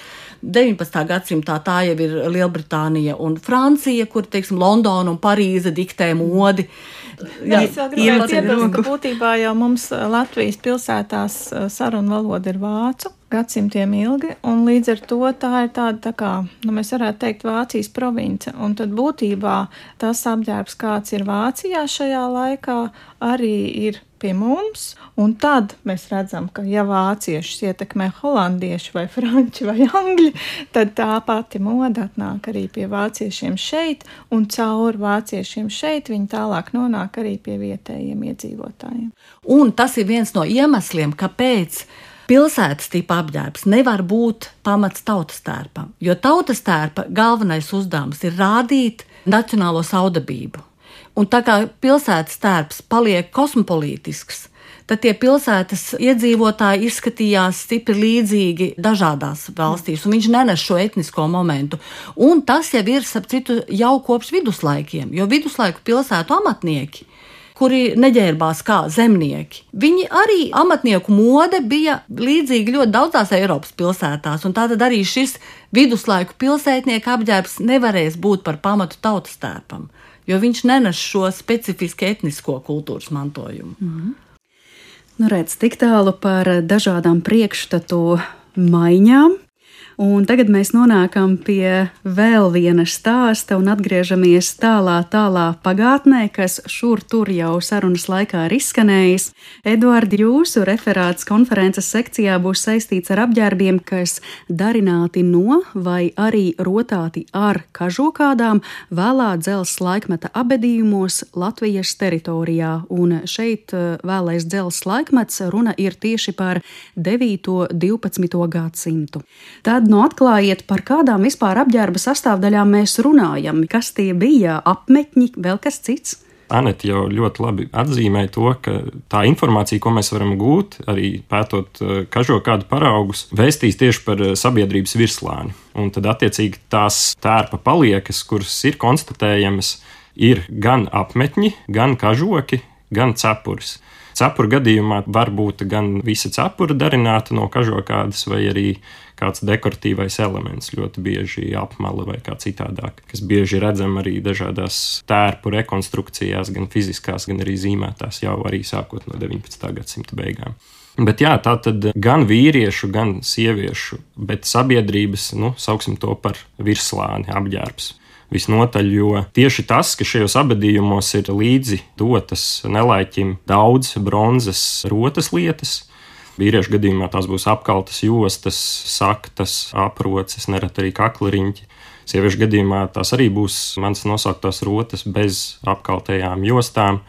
19. gadsimtā tā jau ir Lielbritānija un Francija, kur, teiksim, Londona un Parīze diktē modi.
Jā, es vēl gribētu piebilst, ka būtībā jau mums Latvijas pilsētās sarunu valoda ir vācu gadsimtiem ilgi, un līdz ar to tā ir tāda, tā kā, mēs varētu teikt, Vācijas province, un tad būtībā tas apģērbs, kāds ir Vācijā šajā laikā, arī ir pie mums, un tad mēs redzam, ka ja vāciešus ietekmē holandieši vai franči vai angļi, tad tā pati moda atnāk arī pie vāciešiem šeit, un caur vāciešiem šeit viņi tālāk nonāk arī pie vietējiem iedzīvotājiem.
Un tas ir viens no iemesliem, kāpēc pilsētas tipa apģērbs nevar būt pamats tautas tērpam, jo tautas tērpa galvenais uzdevums ir rādīt nacionālo saudabību. Un tā kā pilsētas tērps paliek kosmopolītisks, tad tie pilsētas iedzīvotāji izskatījās stipri līdzīgi dažādās valstīs, un viņš nenes šo etnisko momentu. Un tas jau ir, starp citu, jau kopš viduslaikiem, jo viduslaiku pilsētu amatnieki, kuri neģērbās kā zemnieki. Viņi arī amatnieku mode bija līdzīga ļoti daudzās Eiropas pilsētās, un tātad arī šis viduslaiku pilsētnieku apģērbs nevarēs būt par pamatu tautas tērpam, jo viņš nenes šo specifiski etnisko kultūras mantojumu.
Nu, redz, tik tālu par dažādām priekšstatu maiņām. Un tagad mēs nonākam pie vēl viena stāsta un atgriežamies tālā pagātnē, kas šur tur jau sarunas laikā ir izskanējis. Eduardi, jūsu referāts konferences sekcijā būs saistīts ar apģērbiem, kas darināti no vai arī rotāti ar kažokādām vēlā dzelzs laikmeta abedījumos Latvijas teritorijā. Un šeit vēlais dzelzs laikmets runa ir tieši par 9. 12. gadsimtu. Tad atklājiet, par kādām vispār apģērba sastāvdaļām mēs runājam, kas tie bija, apmetņi, vēl kas cits?
Anete jau ļoti labi atzīmēja to, ka tā informācija, ko mēs varam gūt, arī pētot kažokādu paraugus, vēstīs tieši par sabiedrības virslāni. Un tad attiecīgi tās tērpa paliekas, kuras ir konstatējamas, ir gan apmetņi, gan kažoki, gan cepuris. Cepura gadījumā var būt gan visa cepura darināta no kažokādas vai arī kāds dekoratīvais elements, ļoti bieži apmala vai kā citādāk, kas bieži redzam arī dažādās tērpu rekonstrukcijās, gan fiziskās, gan arī zīmētās, jau arī sākot no 19. gadsimta beigām. Bet jā, tā tad gan vīriešu, gan sieviešu, bet sabiedrības, sauksim to par virslāni apģērbs. Visnotaļ, jo tieši tas, ka šajos abedījumos ir līdzi dotas nelaiķim daudz bronzas rotas lietas, vīriešu gadījumā tās būs apkaltas jostas, saktas, aproces, nereti arī kaklariņķi. Sieviešu gadījumā tās arī būs manas nosauktās rotas bez apkaltējām jostām,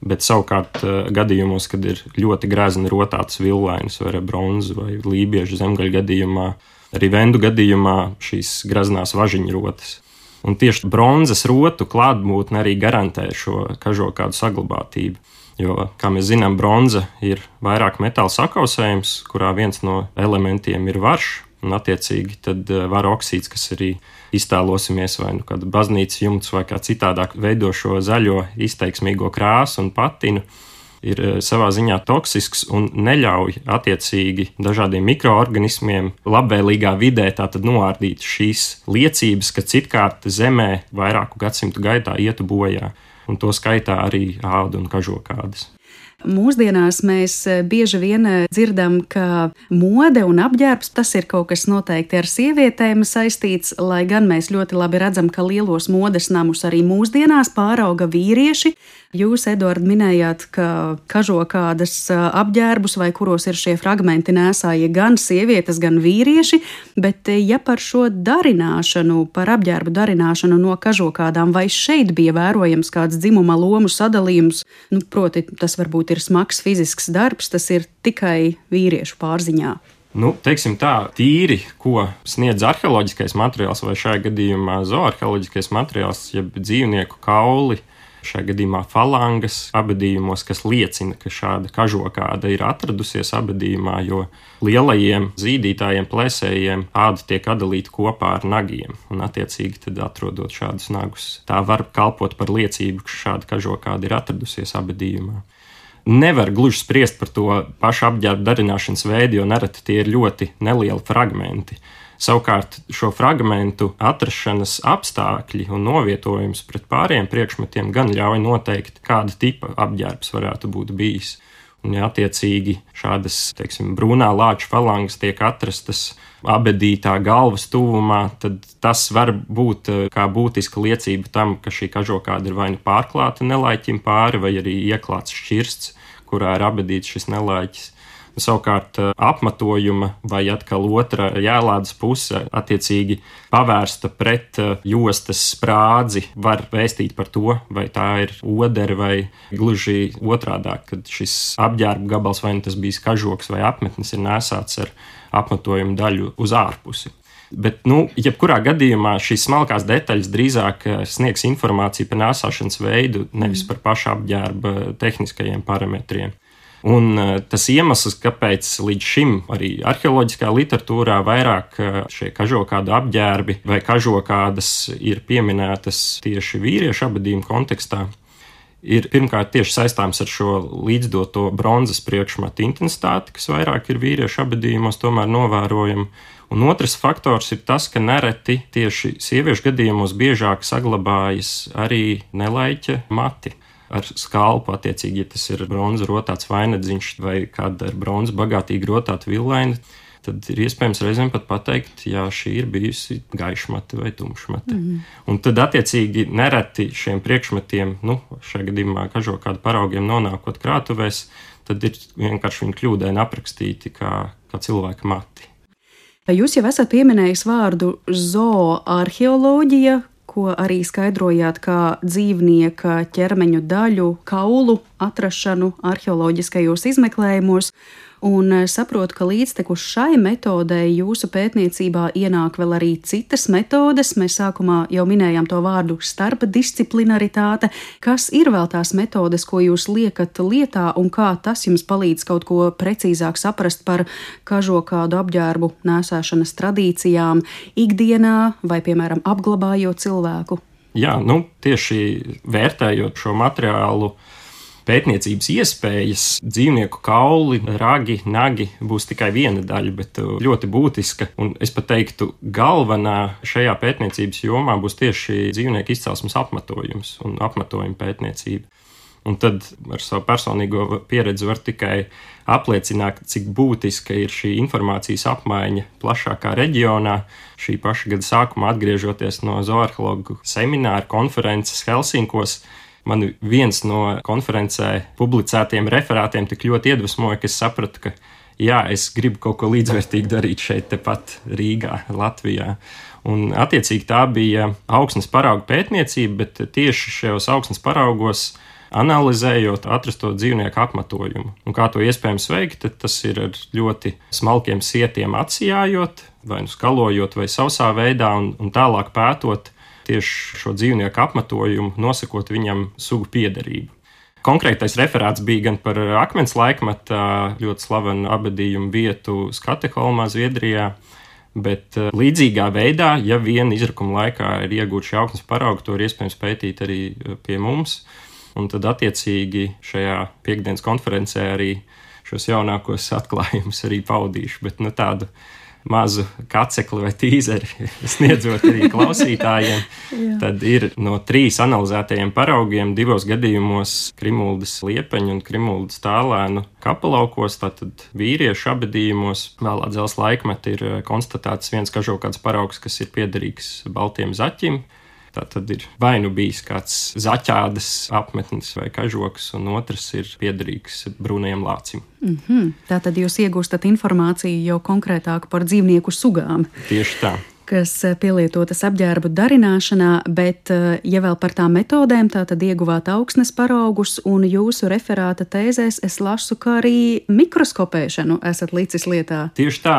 bet savukārt gadījumos, kad ir ļoti grezni rotātas villainas vai bronzu vai lībiešu zemgaļu gadījumā, arī vendu gadījumā šīs greznās važiņu rotas. Un tieši bronzas rotu klātbūtne arī garantē šo kažokādu saglabātību. Jo, kā mēs zinām, bronza ir vairāk metāla sakausējums, kurā viens no elementiem ir varš, un attiecīgi tad vara oksīds, kas arī iztēlosimies vai kāda baznīcas jumts vai kā citādāk veido šo zaļo izteiksmīgo krāsu un patinu, ir savā ziņā toksisks un neļauj attiecīgi dažādiem mikroorganismiem labvēlīgā vidē tātad noārdīt šīs liecības, ka citkārt zemē vairāku gadsimtu gaitā ietu bojā, un to skaitā arī ādu un kažokādas.
Mūsdienās mēs bieži vien dzirdam, ka mode un apģērbs tas ir kaut kas noteikti ar sievietēm saistīts, lai gan mēs ļoti labi redzam, ka lielos modes namus arī mūsdienās pārauga vīrieši. Jūs, Eduard, minējāt, ka kažokādas apģērbus vai kuros ir šie fragmenti nēsāja gan sievietes, gan vīrieši, bet ja par šo darināšanu, par apģērbu darināšanu no kažokādām, vai šeit bija vērojams kāds dzimuma lomu sadalījums? Proti, tas varbūt ir smags fizisks darbs, tas ir tikai vīriešu pārziņā.
Teiksim tā, tīri, ko sniedz arheoloģiskais materiāls vai šajā gadījumā zooarheoloģiskais materiāls, jeb dzīvnieku kauli, šajā gadījumā falangas abadījumos, kas liecina, ka šāda kažokāda ir atradusies abadījumā, jo lielajiem zīdītājiem, plēsējiem āda tiek atdalīta kopā ar nagiem, un attiecīgi tad atrodot šādus nagus. Tā var kalpot par liecību, ka šāda kažokāda ir atradusies abadījumā. Nevar gluži spriest par to pašu apģērbu darināšanas veidu, jo nereti tie ir ļoti nelieli fragmenti. Savukārt šo fragmentu atrašanas apstākļi un novietojums pret pārējiem priekšmetiem gan ļauj noteikt, kāda tipa apģērbs varētu būt bijis. Un, ja attiecīgi šādas, brūnā lāča falangas tiek atrastas abedītā galvas tuvumā, tad tas var būt kā būtiska liecība tam, ka šī kažokāda ir vai nu pārklāta nelaiķim pāri, vai arī ieklāts šķirsts, kurā ir abedīts šis nelaiķis. Savukārt apmetojuma vai atkal otra jēlādes puse attiecīgi pavērsta pret jostas sprādzi var vēstīt par to, vai tā ir odere vai gluži otrādāk, kad šis apģērba gabals vai tas bijis kažoks vai apmetnis ir nēsāts ar apmetojuma daļu uz ārpusi. Bet, jebkurā gadījumā šīs smalkās detaļas drīzāk sniegs informāciju par nēsāšanas veidu, nevis par pašu apģērba tehniskajiem parametriem. Un tas iemesls, kāpēc līdz šim arī arheoloģiskā literatūrā vairāk šie kažokādu apģērbi vai kažokādas ir pieminētas tieši vīriešu abadījuma kontekstā, ir pirmkārt tieši saistāms ar šo līdzdoto bronzas priekšmetu intensitāti, kas vairāk ir vīriešu abadījumos tomēr novērojama. Un otrs faktors ir tas, ka nereti tieši sieviešu gadījumos biežāk saglabājas arī nelaiķa mati. Ar skalpu, attiecīgi, ja tas ir bronza rotāts vainadziņš vai kāda ar bronzu bagātīgi rotāta villaina, tad ir iespējams reizēm pat pateikt, jā, šī ir bijusi gaišmate vai tumšmate. Un tad, attiecīgi, nereti šiem priekšmetiem, šajā gadījumā kažokādu paraugiem nonākot krātuvēs, tad ir vienkārši viņi kļūdaini aprakstīti kā cilvēka mati.
Jūs jau esat pieminējis vārdu zooarheoloģija, ko arī skaidrojāt kā dzīvnieka ķermeņu daļu, kaulu atrašanu arheoloģiskajos izmeklējumos, un saprotu, ka līdztekus šai metodei jūsu pētniecībā ienāk vēl arī citas metodes. Mēs sākumā jau minējām to vārdu starpdisciplinaritāte. Kas ir vēl tās metodes, ko jūs liekat lietā, un kā tas jums palīdz kaut ko precīzāk saprast par kažokādu apģērbu nēsāšanas tradīcijām ikdienā vai, piemēram, apglabājot cilvēku?
Jā, tieši vērtējot šo materiālu pētniecības iespējas, dzīvnieku kauli, ragi, nagi būs tikai viena daļa, bet ļoti būtiska. Un es pat teiktu, galvenā šajā pētniecības jomā būs tieši dzīvnieku izcelsmes apmetojums un apmetojuma pētniecība. Un tad ar savu personīgo pieredzi var tikai apliecināt, cik būtiska ir šī informācijas apmaiņa plašākā reģionā. Šī paša gada sākumā, atgriežoties no zooarheologu semināra konferences Helsinkos, man viens no konferencē publicētiem referātiem tik ļoti iedvesmoja, ka es sapratu, ka jā, es gribu kaut ko līdzvērtīgu darīt šeit tepat Rīgā, Latvijā. Un attiecīgi tā bija augsnes paraugu pētniecība, bet tieši šajos augsnes paraugos analizējot atrasto dzīvnieku apmetojumu. Un kā to iespējams veikt, tas ir ar ļoti smalkiem sietiem atsijājot, vai skalojot, vai sausā veidā, un tālāk pētot tieši šo dzīvnieku apmetojumu, nosakot viņam sugu piederību. Konkrētais referāts bija gan par akmens laikmeta ļoti slavenu abadījumu vietu Skateholmā, Zviedrijā, bet līdzīgā veidā, ja vien izrakuma laikā ir iegūti šie augsnes paraugi, to ir iespējams pētīt arī pie mums, un tad attiecīgi šajā piektdienas konferencē arī šos jaunākos atklājumus arī paudīšu, bet tādu mazu kacekli vai tīzeri sniedzot arī klausītājiem, tad ir no 3 analizētajiem paraugiem 2 gadījumos Krimuldas liepeņu un Krimuldas tālēnu kapelaukos, tātad vīriešu abadījumos. Vēlā dzelzs laikmeta ir konstatēts viens kažokāds paraugs, kas ir piederīgs baltiem zaķim. Tā tad ir vai nu bijis kāds zaķādas apmetnis vai kažoks, un otrs ir piederīgs brūnajam lācim.
Tātad jūs iegūstat informāciju jau konkrētāk par dzīvnieku sugām.
Tieši tā.
Kas pielietotas apģērbu darināšanā, bet, ja vēl par tām metodēm, tātad ieguvāt augsnes paraugus, un jūsu referāta tēzēs es lasu, kā arī mikroskopēšanu esat licis lietā.
Tieši tā,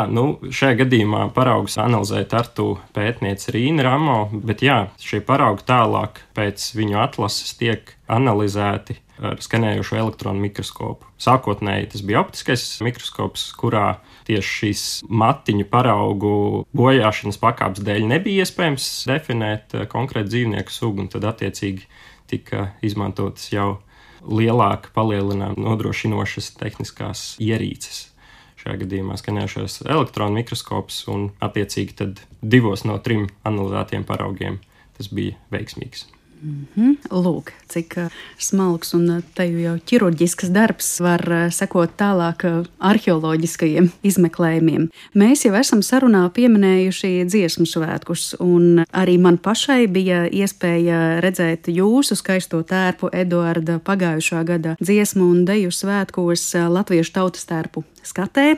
šajā gadījumā paraugus analizēja Tartu pētniece Rīna Ramo, bet jā, šie paraugi tālāk pēc viņu atlases tiek analizēti ar skanējošo elektronu mikroskopu. Sākotnēji tas bija optiskais mikroskops, kurā tieši šīs matiņu paraugu bojāšanas pakāpes dēļ nebija iespējams definēt konkrētu dzīvnieku sugu, un tad attiecīgi tika izmantotas jau lielāka palielinājuma nodrošinošas tehniskās ierīces. Šajā gadījumā skanējošais elektronu mikroskops, un attiecīgi tad 2 no 3 analizētiem paraugiem tas bija veiksmīgs.
Lūk, cik smalks un te jau ķirurģisks darbs var sekot tālāk arheoloģiskajiem izmeklējumiem. Mēs jau esam sarunā pieminējuši dziesmu svētkus, un arī man pašai bija iespēja redzēt jūsu skaisto tērpu Eduarda pagājušā gada dziesmu un deju svētkos Latviešu tautas tērpu skatē.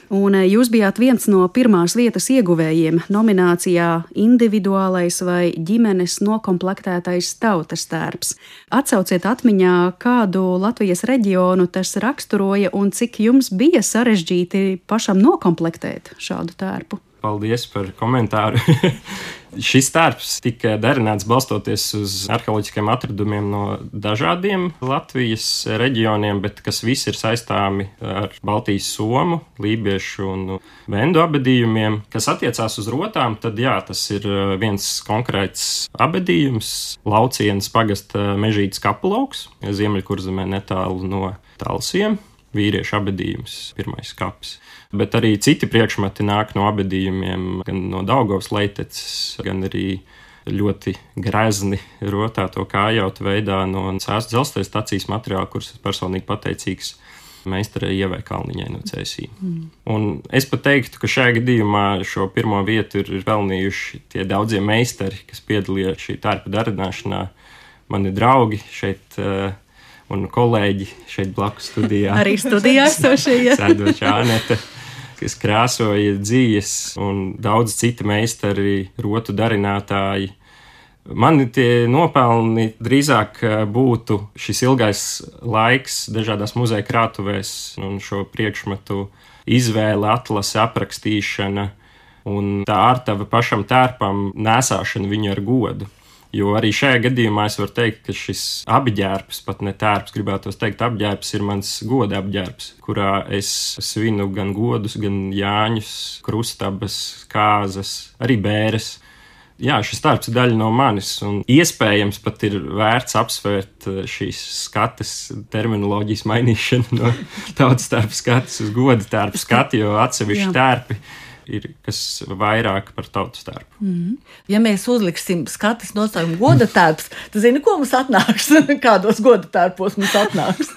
Un jūs bijāt viens no pirmās vietas ieguvējiem nominācijā Individuālais vai ģimenes nokomplektētais tautas tērps. Atsauciet atmiņā, kādu Latvijas reģionu tas raksturoja un cik jums bija sarežģīti pašam nokomplektēt šādu tērpu.
Paldies par komentāru. Šis tērps tika darināts balstoties uz arheoloģiskiem atradumiem no dažādiem Latvijas reģioniem, bet kas visi ir saistāmi ar Baltijas somu, lībiešu un vendu abedījumiem. Kas attiecās uz rotām, tad jā, tas ir viens konkrēts abedījums, Laucienas pagasta Mežītes kapulauks, Ziemeļkurzemē netālu no Talsiem. Vīriešu abedījums, pirmais kaps. Bet arī citi priekšmeti nāk no abedījumiem, gan no Daugavas leiteces, gan arī ļoti grezni rotāto kājautu veidā no Cēsu dzelzceļa stacijas materiāla, kuras personīgi pateicīgs meistarei Ievai Kalniņai no CSI. Un es pat teiktu, ka šajā gadījumā šo pirmo vietu ir pelnījuši tie daudzie meistari, kas piedalījās šī tērpa darināšanā. Mani draugi šeit un kolēģi šeit blakus studijā.
Arī studijā esošie.
Sēdoša Anete, kas krāsoja dzīves, un daudz citi meistari, rotu darinātāji. Mani tie nopelni drīzāk būtu šis ilgais laiks dažādās muzeja krātuvēs un šo priekšmetu izvēle, atlase, aprakstīšana un tā ārtava pašam tērpam nesāšana viņu ar godu. Jo arī šajā gadījumā es varu teikt, ka šis apģērbs, pat ne tērps, gribētos teikt, apģērbs ir mans goda apģērbs, kurā es svinu gan godus, gan jāņus, krustabas, kāzas, arī bēres. Jā, šis tērps ir daļa no manis, un iespējams pat ir vērts apsvērt šīs skates terminoloģijas mainīšanu no tautas tērpa skates uz goda tērpa skati, jo atsevišķi tērpi ir kas vairāk par tautas tērpu.
Ja mēs uzliksim skates nosaukumu goda tērps, tad zini, ko mums atnāks? Kādos goda tērpos mums atnāks?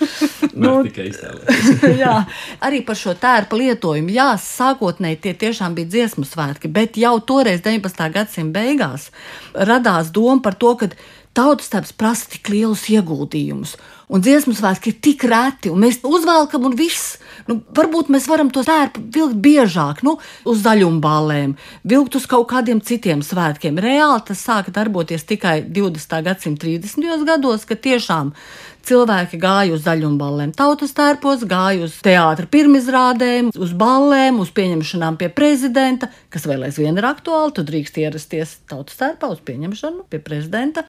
Tikai iztēlēties.
Jā, arī par šo tērpa lietojumu. Jā, sākotnēji tie tiešām bija dziesmu svētki, bet jau toreiz 19. gadsimta beigās radās doma par to, ka tautas tērps prasa tik lielus ieguldījumus. Un dziesmu svētki ir tik reti, un mēs uzvelkam un viss. Varbūt mēs varam to tērpu vilkt biežāk, uz zaļumbālēm, vilkt uz kaut kādiem citiem svētkiem. Reāli tas sāka darboties tikai 20. gadsimta 30. gados, kad tiešām cilvēki gāja uz zaļumbālēm tautas tērpos, gāja uz teātra pirmizrādēm, uz ballēm, uz pieņemšanām pie prezidenta, kas vēl aizvien ir aktuāli, tu drīkst ierasties tautas tērpā uz pieņemšanu pie prezidenta.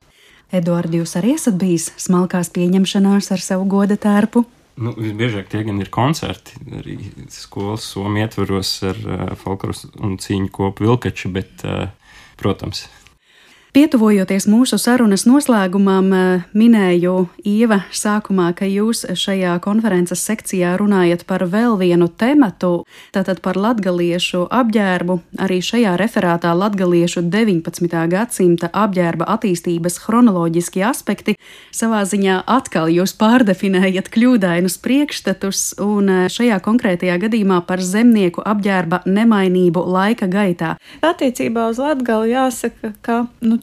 Eduardi, jūs arī esat bijis smalkās pieņemšanās ar savu goda tērpu?
Visbiežāk tie gan ir koncerti, arī skolas somu ietvaros ar folkloras un cīņu kopu Vilkači, bet, protams.
Pietuvojoties mūsu sarunas noslēgumam, minēju Ieva sākumā, ka jūs šajā konferences sekcijā runājat par vēl vienu tematu, tātad par latgaliešu apģērbu. Arī šajā referātā latgaliešu 19. gadsimta apģērba attīstības chronoloģiski aspekti. Savā ziņā atkal jūs pārdefinējat kļūdainus priekšstatus un šajā konkrētajā gadījumā par zemnieku apģērba nemainību laika gaitā.
Attiecībā uz Latgali jāsaka, ka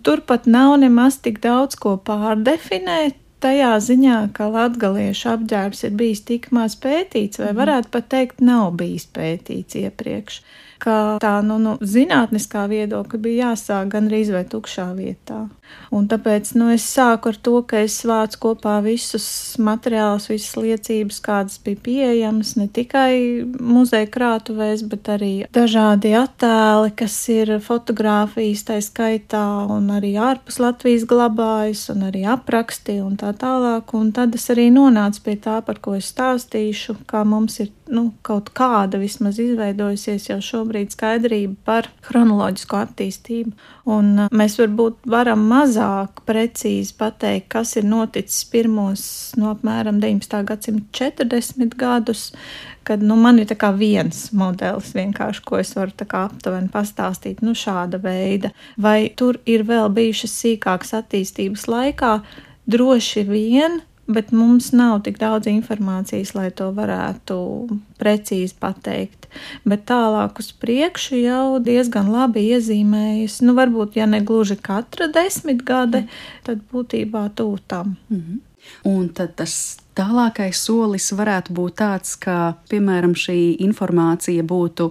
turpat nav nemaz tik daudz ko pārdefinēt. Tajā ziņā, ka latgaliešu apģērbs ir bijis tik maz pētīts, vai varētu pat teikt, nav bijis pētīts iepriekš, ka tā zinātniskā viedokļa bija jāsāk gandrīz vai tukšā vietā. Un tāpēc es sāku ar to, ka es vācu kopā visus materiālus, visas liecības, kādas bija pieejamas, ne tikai muzeja krātuvēs, bet arī dažādi attēli, kas ir fotogrāfijas tā skaitā, un arī ārpus Latvijas glabājas, un arī apraksti un tā tālāk. Un tad es arī nonācu pie tā, par ko es stāstīšu, kā mums ir kaut kāda vismaz izveidojusies jau šobrīd skaidrība par chronoloģisko attīstību. Un mēs varbūt varam mazāk precīzi pateikt, kas ir noticis pirmos apmēram 19. gadsimta 40 gadus, kad man ir tā kā viens modelis vienkārši, ko es varu tā kā aptuveni pastāstīt, šāda veida. Vai tur ir vēl bijušas sīkākas attīstības laikā? Droši vien, bet mums nav tik daudz informācijas, lai to varētu precīzi pateikt. Bet tālāk uz priekšu jau diezgan labi iezīmējas, varbūt, ja ne gluži katra 10 gade, tad būtībā tuvu tam.
Un tad tas tālākais solis varētu būt tāds, ka, piemēram, šī informācija būtu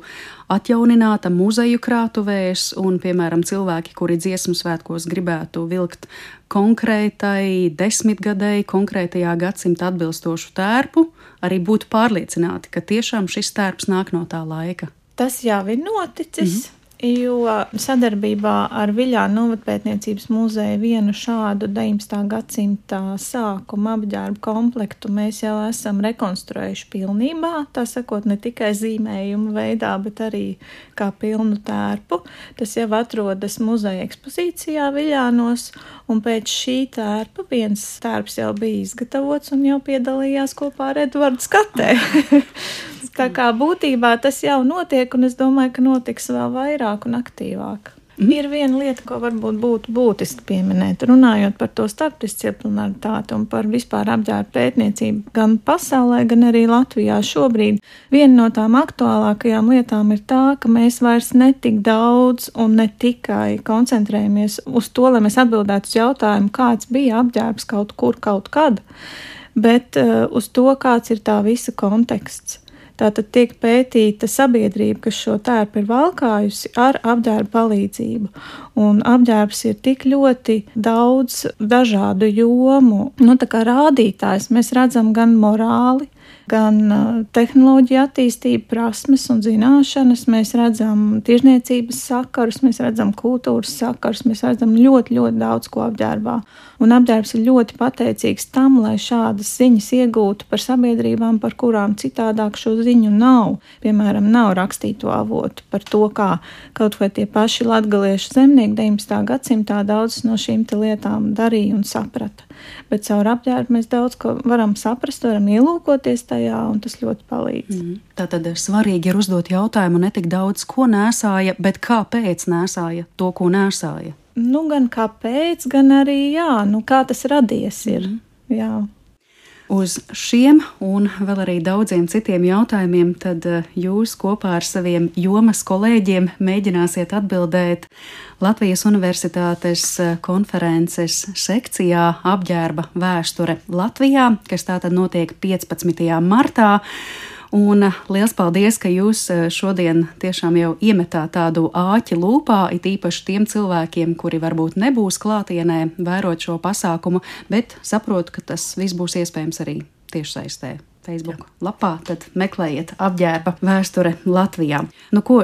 atjaunināta muzeju krātuvēs un, piemēram, cilvēki, kuri dziesmu svētkos gribētu vilkt konkrētai 10 gadei, konkrētajā gadsimta atbilstošu tērpu, arī būtu pārliecināti, ka tiešām šis tērps nāk no tā laika.
Tas jau ir noticis. Jo sadarbībā ar Viļānu novadpētniecības muzeju vienu šādu 19. gadsimta sākuma apģērbu komplektu mēs jau esam rekonstruējuši pilnībā, tā sakot, ne tikai zīmējumu veidā, bet arī kā pilnu tērpu. Tas jau atrodas muzeja ekspozīcijā Viļānos, un pēc šī tērpa viens tērps jau bija izgatavots un jau piedalījās kopā ar Edvardu Skatē. Tā kā būtībā tas jau notiek, un es domāju, ka notiks vēl vairāk un aktīvāk. Ir viena lieta, ko varbūt būtu būtiski pieminēt, runājot par to starpdisciplinaritāti un par vispār apģērbu pētniecību gan pasaulē, gan arī Latvijā šobrīd. Viena no tām aktuālākajām lietām ir tā, ka mēs vairs netik daudz un ne tikai koncentrējamies uz to, lai mēs atbildētu uz jautājumu, kāds bija apģērbs kaut kur, kaut kad, bet uz to, kāds ir tā visa konteksts. Tātad tiek pētīta sabiedrība, kas šo tērpu ir valkājusi ar apģērbu palīdzību. Un apģērbs ir tik ļoti daudz dažādu jomu, tā kā rādītājs. Mēs redzam gan morāli, gan tehnoloģija attīstību, prasmes un zināšanas, mēs redzam tirzniecības sakarus, mēs redzam kultūras sakarus, mēs redzam ļoti, ļoti daudz ko apģērbā. Un apģērbs ir ļoti pateicīgs tam, lai šādas ziņas iegūtu par sabiedrībām, par kurām citādāk šo ziņu nav. Piemēram, nav rakstīto avotu par to, kā kaut vai tie paši latgaliešu zemnieki 19. gadsimtā daudzas no šīm lietām darīja un saprata. Bet caur apģērbu mēs daudz ko varam saprast, varam ielūkoties tajā, un tas ļoti palīdz.
Tātad svarīgi ir uzdot jautājumu ne tik daudz, ko nēsāja, bet kāpēc nēsāja to, ko nēsāja.
Gan kāpēc, gan arī kā tas radies ir. Jā.
Uz šiem un vēl arī daudziem citiem jautājumiem tad jūs kopā ar saviem jomas kolēģiem mēģināsiet atbildēt Latvijas Universitātes konferences sekcijā Apģērba vēsture Latvijā, kas tātad notiek 15. martā. Un liels paldies, ka jūs šodien tiešām jau iemetāt tādu āķi lūpā, it īpaši tiem cilvēkiem, kuri varbūt nebūs klātienē vērot šo pasākumu, bet saprotu, ka tas viss būs iespējams arī tiešsaistē. Facebook lapā, tad meklējiet Apģērba vēsture Latvijā.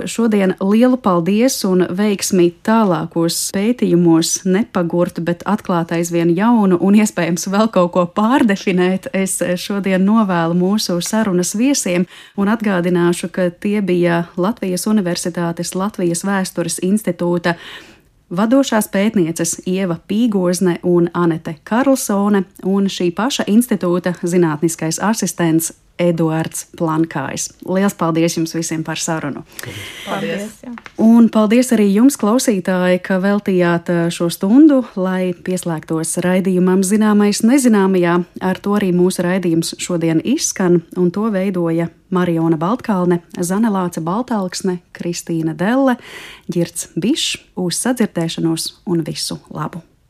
Šodien lielu paldies un veiksmi tālākos pētījumos nepagurt, bet atklāt aizvien jaunu un iespējams vēl kaut ko pārdefinēt. Es šodien novēlu mūsu sarunas viesiem un atgādināšu, ka tie bija Latvijas Universitātes Latvijas Vēstures institūta vadošās pētnieces Ieva Pīgozne un Anete Karlsone un šī paša institūta zinātniskais asistents Eduards Plankājs. Liels paldies jums visiem par sarunu!
Paldies! Jā.
Un paldies arī jums, klausītāji, ka veltījāt šo stundu, lai pieslēgtos raidījumam Zināmais nezināmajā. Ar to arī mūsu raidījums šodien izskan, un to veidoja Mariona Baltkalne, Zane Lāce Baltalksne, Kristīna Delle, Ģirds Bišs. Uz sadzirdēšanos un visu labu!